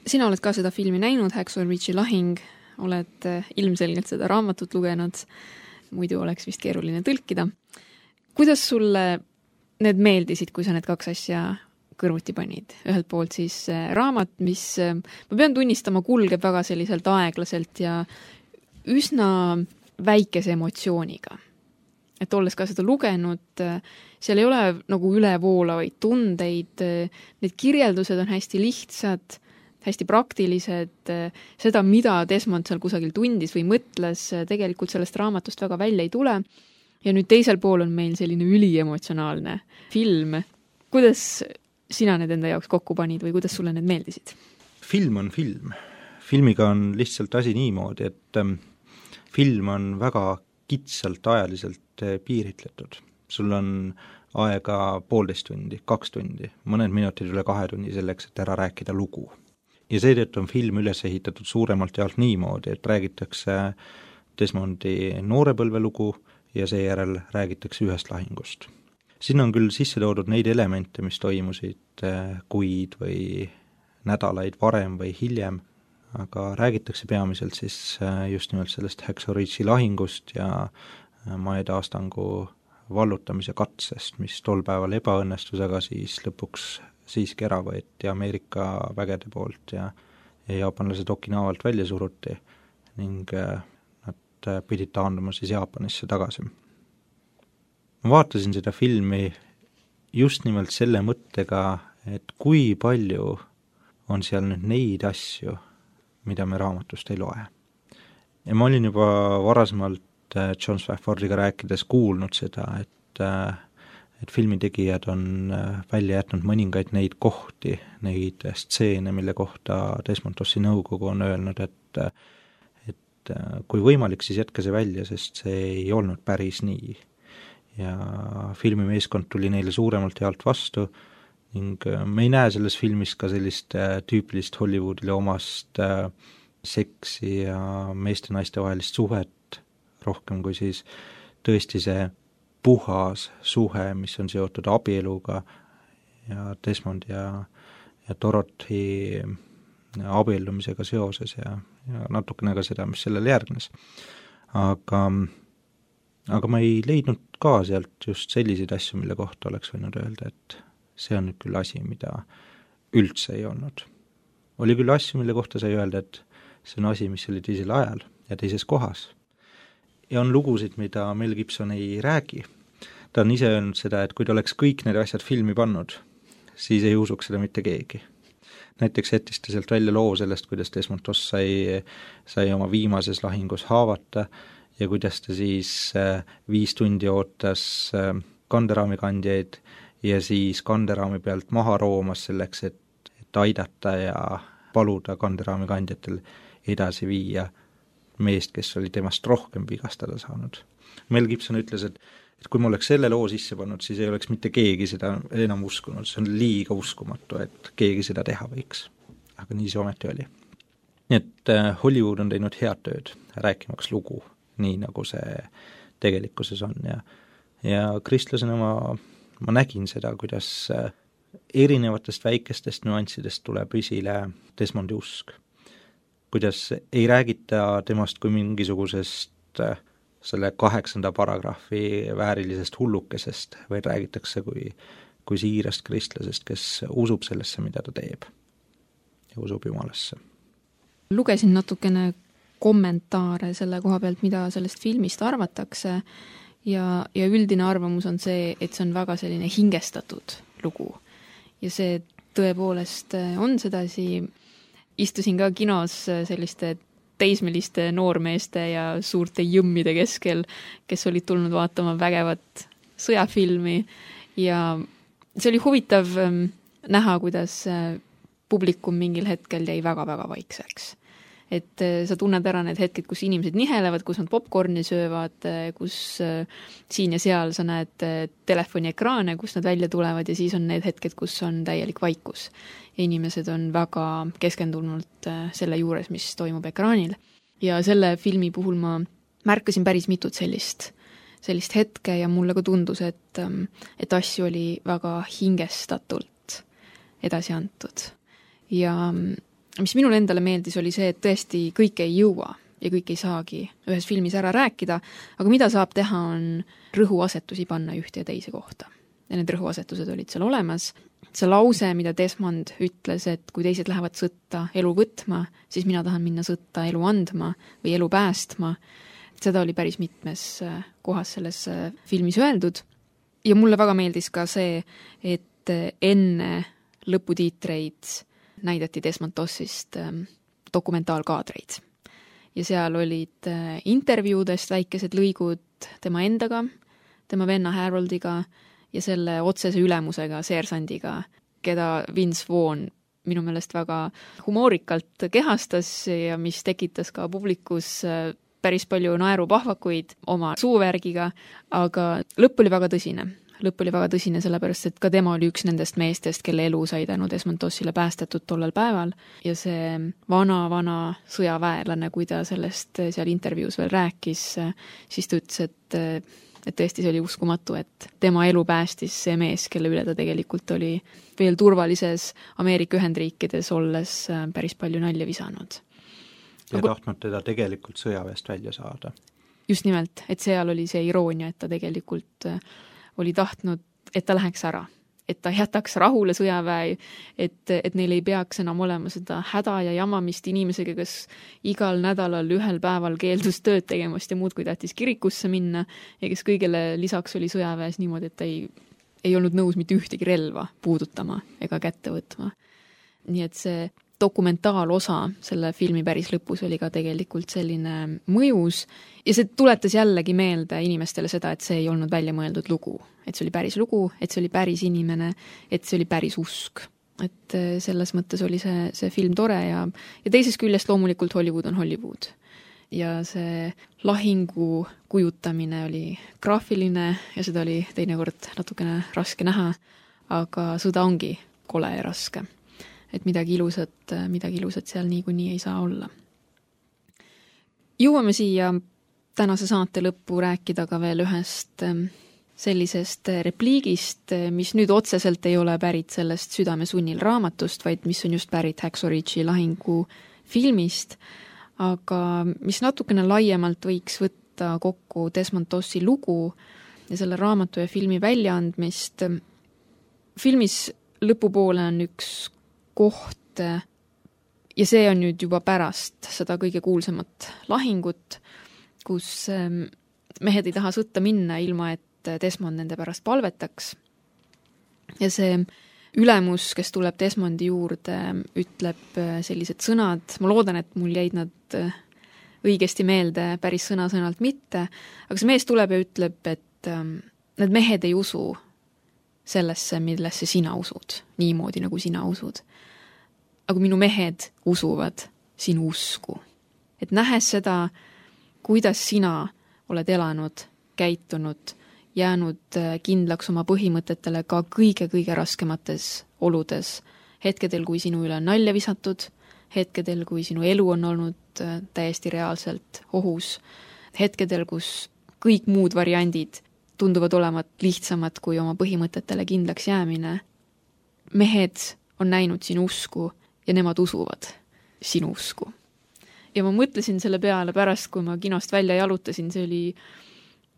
Sina oled ka seda filmi näinud, Hacksaw Ridge'i lahing, oled ilmselgelt seda raamatut lugenud, muidu oleks vist keeruline tõlkida. Kuidas sulle need meeldisid, kui sa need kaks asja kõrvuti panid? Ühelt poolt siis raamat, mis, ma pean tunnistama, kulgeb väga selliselt aeglaselt ja üsna väikese emotsiooniga. Et olles ka seda lugenud, seal ei ole nagu ülevoolavaid tundeid, need kirjeldused on hästi lihtsad, hästi praktilised, seda, mida Desmond seal kusagil tundis või mõtles, tegelikult sellest raamatust väga välja ei tule. Ja nüüd teisel pool on meil selline üliemotsionaalne film. Kuidas sina need enda jaoks kokku panid või kuidas sulle need meeldisid? Film on film. Filmiga on lihtsalt asi niimoodi, et film on väga kitsalt ajaliselt piiritletud. Sul on aega 1,5 tundi, 2 tundi, mõned minutid üle 2 tunni selleks, et ära rääkida lugu. Ja seetõttu on film üles ehitatud suuremalt jaolt niimoodi, et räägitakse Desmondi noorepõlve lugu ja seejärel räägitakse ühest lahingust. Siin on küll sisse toodud neid elemente, mis toimusid kuid või nädalaid varem või hiljem, aga räägitakse peamiselt siis just nimelt sellest Hacksaw Ridge'i lahingust ja Mae Taastangu vallutamise katsest, mis tol päeval ebaõnnestus, aga siis lõpuks siiski ära võeti Ameerika vägede poolt ja jaapanlased Okinawalt välja suruti ning nad pidid taanduma siis Jaapanisse tagasi. Ma vaatasin seda filmi just nimelt selle mõttega, et kui palju on seal nüüd neid asju, mida me raamatust ei loe. Ja ma olin juba varasemalt John Swaffordiga rääkides kuulnud seda, et filmitegijad on välja jätnud mõningaid neid kohti, neid stseene, mille kohta Desmond Dossi nõukogu on öelnud, et kui võimalik, siis jätke see välja, sest see ei olnud päris nii. Ja filmimeeskond tuli neile suuremalt jaolt vastu ning me ei näe selles filmis ka sellist tüüpilist Hollywoodile omast seksi ja meeste-naiste vahelist suhet, rohkem kui siis tõesti see puhas suhe, mis on seotud abieluga ja Desmond ja Dorothy abiellumisega seoses ja natukene ka seda, mis sellele järgnes. Aga ma ei leidnud ka sealt just selliseid asju, mille kohta oleks võinud öelda, et see on nüüd küll asi, mida üldse ei olnud. Oli küll asju, mille kohta sai öelda, et see on asi, mis oli teisel ajal ja teises kohas. Ja on lugusid, mida Mel Gibson ei räägi. Ta on ise öelnud seda, et kui ta oleks kõik need asjad filmi pannud, siis ei usuks seda mitte keegi. Näiteks jättis ta sealt välja loo sellest, kuidas Desmond Doss sai oma viimases lahingus haavata ja kuidas ta siis 5 tundi ootas kanderaamikandjaid ja siis kanderaami pealt maha roomas selleks, et aidata ja paluda kanderaamikandjatel edasi viia meest, kes oli temast rohkem vigastada saanud. Mel Gibson ütles, et kui ma oleks selle loo sisse pannud, siis ei oleks mitte keegi seda enam uskunud, see on liiga uskumatu, et keegi seda teha võiks. Aga nii see ometi oli. Nii et Hollywood on teinud head tööd, rääkimaks lugu, nii nagu see tegelikkuses on ja kristlasena ma nägin seda, kuidas erinevatest väikestest nüanssidest tuleb esile Desmondi usk. Kuidas ei räägita temast kui mingisugusest selle 8. paragrahvi väärilisest hullukesest, vaid räägitakse kui siirast kristlasest, kes usub sellesse, mida ta teeb ja usub Jumalasse. Lugesin natukene kommentaare selle koha pealt, mida sellest filmist arvatakse ja üldine arvamus on see, et see on väga selline hingestatud lugu. Ja see tõepoolest on sedasi. Istusin ka kinos selliste teismeliste noormeeste ja suurte jõmmide keskel, kes olid tulnud vaatama vägevat sõjafilmi ja see oli huvitav näha, kuidas publikum mingil hetkel jäi väga-väga vaikseks. Et sa tunned ära need hetked, kus inimesed nihelevad, kus nad popcorni söövad, kus siin ja seal sa näed telefoniekraane, kus nad välja tulevad ja siis on need hetked, kus on täielik vaikus. Ja inimesed on väga keskendunult selle juures, mis toimub ekraanil. Ja selle filmi puhul ma märkasin päris mitut sellist hetke ja mulle ka tundus, et asju oli väga hingestatult edasi antud. Ja mis minule endale meeldis, oli see, et tõesti kõik ei jõua ja kõik ei saagi ühes filmis ära rääkida, aga mida saab teha, on rõhuasetusi panna ühte ja teise kohta. Ja need rõhuasetused olid seal olemas. See lause, mida Desmond ütles, et kui teised lähevad sõtta elu võtma, siis mina tahan minna sõtta elu andma või elu päästma. Seda oli päris mitmes kohas selles filmis öeldud. Ja mulle väga meeldis ka see, et enne lõputiitreid näidati Desmond Dossist dokumentaalkaadreid. Ja seal olid intervjuudest väikesed lõigud tema endaga, tema venna Haroldiga ja selle otsese ülemusega, seersandiga, keda Vince Vaughn minu meelest väga humoorikalt kehastas ja mis tekitas ka publikus päris palju naerupahvakuid oma suuvärgiga, aga lõpp oli väga tõsine. Lõpp oli väga tõsine sellepärast, et ka tema oli üks nendest meestest, kelle elu sai tänu Desmond Dossile päästetud tollel päeval ja see vana sõjaväelane, kui ta sellest seal intervjuus veel rääkis, siis ta ütles, et tõesti see oli uskumatu, et tema elu päästis see mees, kelle üle ta tegelikult oli veel turvalises Ameerika Ühendriikides olles päris palju nalja visanud. Ja tahtnud teda tegelikult sõjaväest välja saada. Just nimelt, et seal oli see iroonia, et ta tegelikult oli tahtnud, et ta läheks ära, et ta jätaks rahule sõjaväe, et neil ei peaks enam olema seda häda ja jamamist inimesega, kes igal nädalal ühel päeval keeldus tööd tegemast ja muud, kui tahtis kirikusse minna ja kes kõigele lisaks oli sõjaväes niimoodi, et ta ei olnud nõus mitte ühtegi relva puudutama ega kätte võtma. Nii et see dokumentaalosa selle filmi päris lõpus oli ka tegelikult selline mõjus ja see tuletas jällegi meelde inimestele seda, et see ei olnud välja mõeldud lugu, et see oli päris lugu, et see oli päris inimene, et see oli päris usk. Et selles mõttes oli see film tore ja teisest küljest loomulikult Hollywood on Hollywood. Ja see lahingu kujutamine oli graafiline ja seda oli teinekord natukene raske näha, aga sõda ongi kole ja raske. Et midagi ilusat seal niikuinii ei saa olla. Jõuame siia tänase saate lõppu rääkida ka veel ühest sellisest repliigist, mis nüüd otseselt ei ole pärit sellest Südamesunnil raamatust, vaid mis on just pärit Hacksaw Ridge'i lahingu filmist, aga mis natukene laiemalt võiks võtta kokku Desmond Dossi lugu ja selle raamatu ja filmi väljaandmist. Filmis lõpupoole on üks koht ja see on nüüd juba pärast seda kõige kuulsamat lahingut, kus mehed ei taha sõtta minna ilma, et Desmond nende pärast palvetaks. Ja see ülemus, kes tuleb Desmondi juurde, ütleb sellised sõnad, ma loodan, et mul jäid nad õigesti meelde, päris sõna-sõnalt mitte, aga see mees tuleb ja ütleb, et need mehed ei usu sellesse, millesse sina usud, niimoodi nagu sina usud. Aga minu mehed usuvad sinu usku. Et nähes seda, kuidas sina oled elanud käitunud, jäänud kindlaks oma põhimõtetele ka kõige-kõige raskemates oludes, hetkedel, kui sinu üle on nalja visatud, hetkedel, kui sinu elu on olnud täiesti reaalselt ohus, hetkedel, kus kõik muud variandid tunduvad olevat lihtsamad kui oma põhimõtetele kindlaks jäämine. Mehed on näinud sinu usku ja nemad usuvad sinu usku. Ja ma mõtlesin selle peale pärast, kui ma kinost välja jalutasin, see oli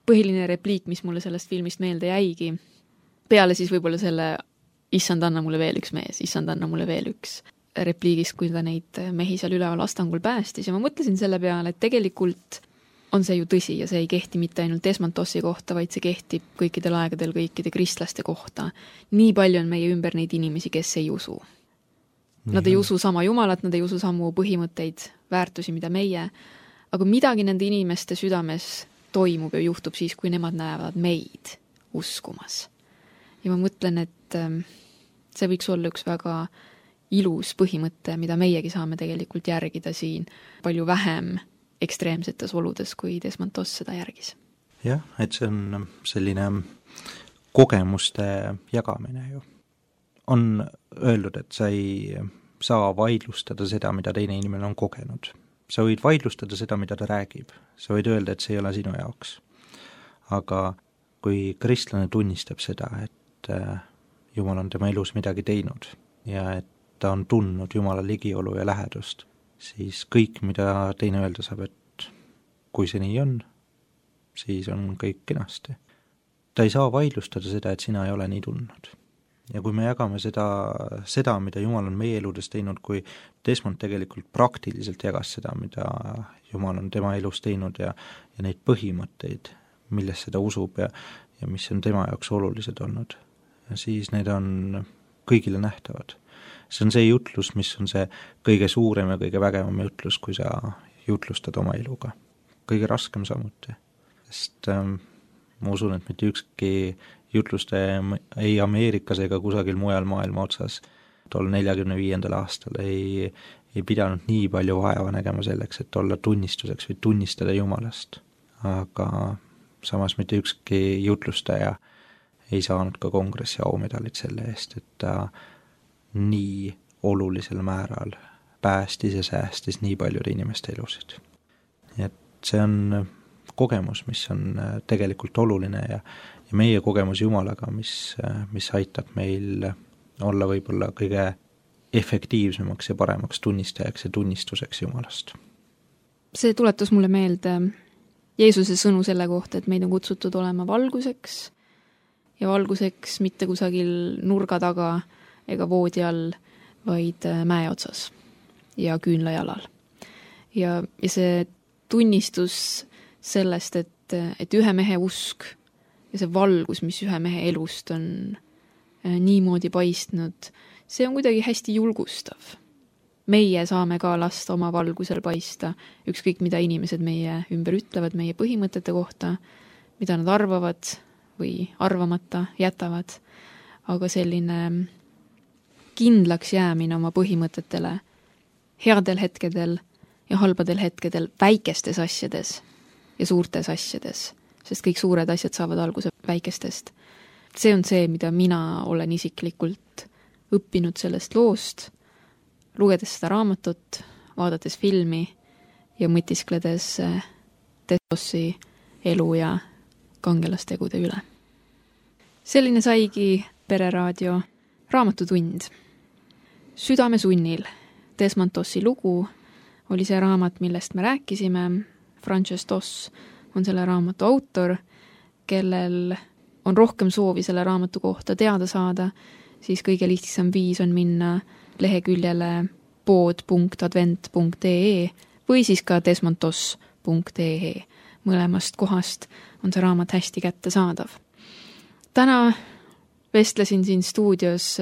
põhiline repliik, mis mulle sellest filmist meelde jäigi. Peale siis võib-olla selle issand, anna mulle veel üks mees, issand, anna mulle veel üks repliigist, kui ta neid mehi seal üleval astangul päästis. Ja ma mõtlesin selle peale, et tegelikult on see ju tõsi ja see ei kehti mitte ainult Desmond Dossi kohta, vaid see kehtib kõikidel aegadel kõikide kristlaste kohta. Nii palju on meie ümber neid inimesi, kes ei usu. Nad ei usu sama Jumalat, nad ei usu samu põhimõtteid, väärtusi, mida meie, aga midagi nende inimeste südames toimub ja juhtub siis, kui nemad näevad meid uskumas. Ja ma mõtlen, et see võiks olla üks väga ilus põhimõte, mida meiegi saame tegelikult järgida siin palju vähem ekstreemsetes oludes, kui Desmond Doss seda järgis. Jah, et see on selline kogemuste jagamine ju. On öeldud, et sa ei saa vaidlustada seda, mida teine inimene on kogenud. Sa võid vaidlustada seda, mida ta räägib. Sa võid öelda, et see ei ole sinu jaoks. Aga kui kristlane tunnistab seda, et Jumal on tema elus midagi teinud ja et ta on tundnud Jumala ligiolu ja lähedust, siis kõik, mida teine öelda saab, et kui see nii on, siis on kõik kenasti. Ta ei saa vaidlustada seda, et sina ei ole nii tundnud. Ja kui me jagame seda, mida Jumal on meie eludes teinud, kui Desmond tegelikult praktiliselt jagas seda, mida Jumal on tema elus teinud ja neid põhimõtteid, millest seda usub ja mis on tema jaoks olulised olnud, ja siis need on kõigile nähtavad. See on see jutlus, mis on see kõige suurem ja kõige vägevam jutlus, kui sa jutlustad oma eluga. Kõige raskem samuti, sest ma usun, et mitte ükski jutluste ei Ameerikas ega kusagil mujal maailma otsas tol 45. aastal ei pidanud nii palju vaeva nägema selleks, et olla tunnistuseks või tunnistada Jumalast. Aga samas mitte ükski jutlustaja ei saanud ka kongressi aumedalit selle eest, et ta nii olulisel määral päästis ja säästis nii paljude inimeste elusid. Et see on kogemus, mis on tegelikult oluline ja meie kogemus Jumalaga, mis aitab meil olla võib-olla kõige efektiivsemaks ja paremaks tunnistajaks ja tunnistuseks Jumalast. See tuletas mulle meelde Jeesuse sõnu selle kohta, et meid on kutsutud olema valguseks ja valguseks mitte kusagil nurga taga ega voodi all, vaid mäe otsas ja küünlajalal. Ja see tunnistus sellest, et ühe mehe usk ja see valgus, mis ühe mehe elust on niimoodi paistnud, see on kuidagi hästi julgustav. Meie saame ka lasta oma valgusel paista, ükskõik mida inimesed meie ümber ütlevad meie põhimõtete kohta, mida nad arvavad või arvamata jätavad, aga selline kindlaks jäämine oma põhimõtetele headel hetkedel ja halbadel hetkedel väikestes asjades ja suurtes asjades, sest kõik suured asjad saavad alguse väikestest. See on see, mida mina olen isiklikult õppinud sellest loost, lugedes seda raamatut, vaadates filmi ja mõtiskledes Dossi elu ja kangelastegude üle. Selline saigi Pereraadio raamatutund. Südame sunnil Desmond Dossi lugu oli see raamat, millest me rääkisime. Frances Doss on selle raamatu autor, kellel on rohkem soovi selle raamatu kohta teada saada, siis kõige lihtsam viis on minna leheküljele pood.advent.ee või siis ka desmonddoss.ee. Mõlemast kohast on see raamat hästi kättesaadav. Täna vestlesin siin stuudios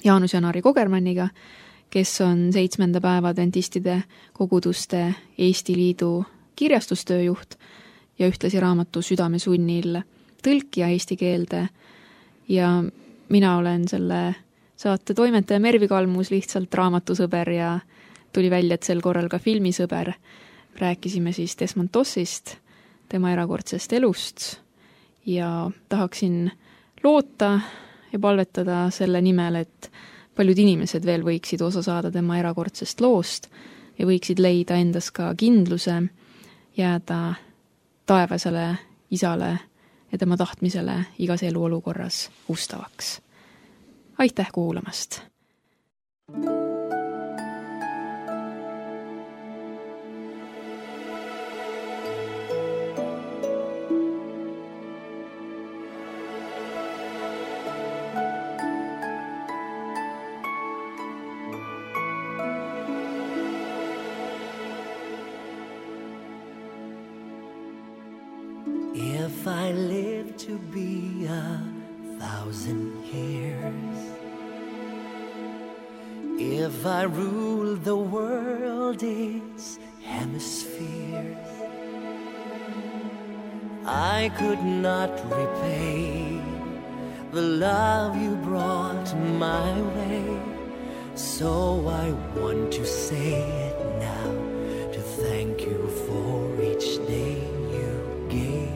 Jaanus Janari Kogermanniga, kes on 7. päeva adventistide koguduste Eesti Liidu kirjastustööjuht ja ühtlasi raamatu Südame sunnil tõlkija eesti keelde. Ja mina olen selle saate toimetaja Mervi Kalmus, lihtsalt raamatusõber ja tuli välja, et sel korral ka filmisõber. Rääkisime siis Desmond Dossist, tema erakordsest elust ja tahaksin loota ja palvetada selle nimel, et paljud inimesed veel võiksid osa saada tema erakordsest loost ja võiksid leida endas ka kindluse jääda taevasele isale ja tema tahtmisele igas eluolukorras ustavaks. Aitäh kuulamast! If I live to be 1,000 years, if I rule the world its hemispheres, I could not repay the love you brought my way. So I want to say it now, to thank you for each day you gave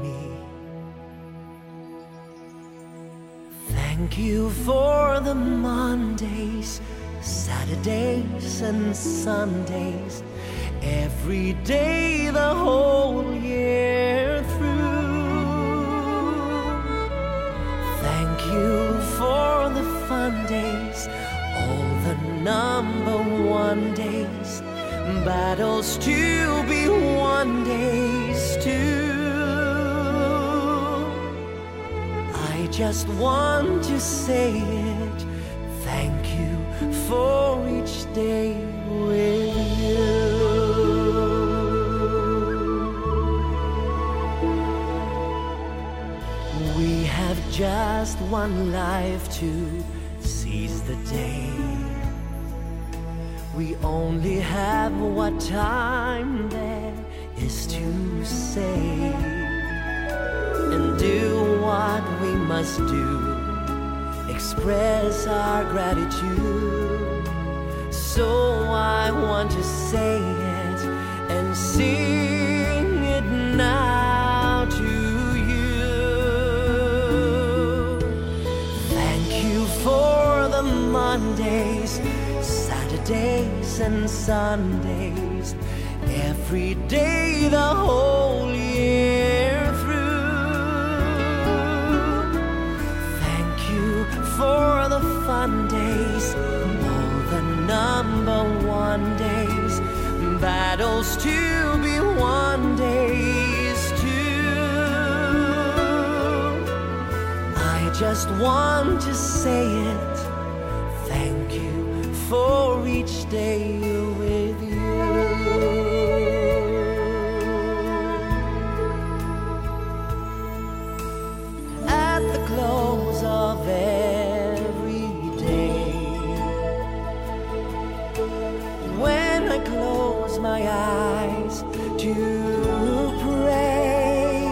me. Thank you for the Mondays, Saturdays and Sundays, every day the whole year through. Thank you for the fun days, all the number one days, battles to be won days too. I just want to say it, thank you for each day with you. We have just one life to seize the day. We only have what time there is to say, and do what we must do, express our gratitude. So I want to say it and sing it now to you. Thank you for the Mondays, Saturdays and Sundays, every day the whole year through. Thank you for the fun days, all the number one days, battles to be won days too. I just want to say it, thank you for each day with you. At the close of every day, when I close my eyes to pray,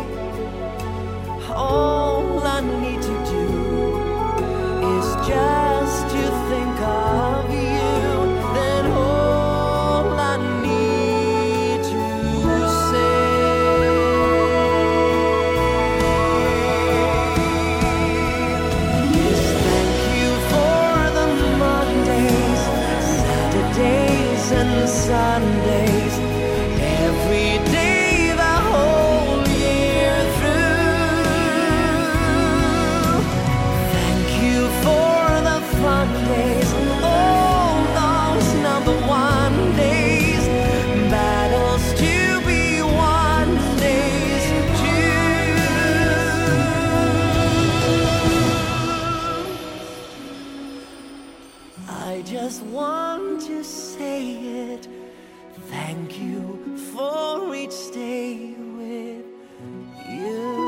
all I need to do is just to think of you. Then all I need to say is thank you for the Mondays, Saturdays and Sundays, every day the whole year through. Thank you for the fun days, all those number one days, battles to be won days too. I just want to say it, thank you for each day with you.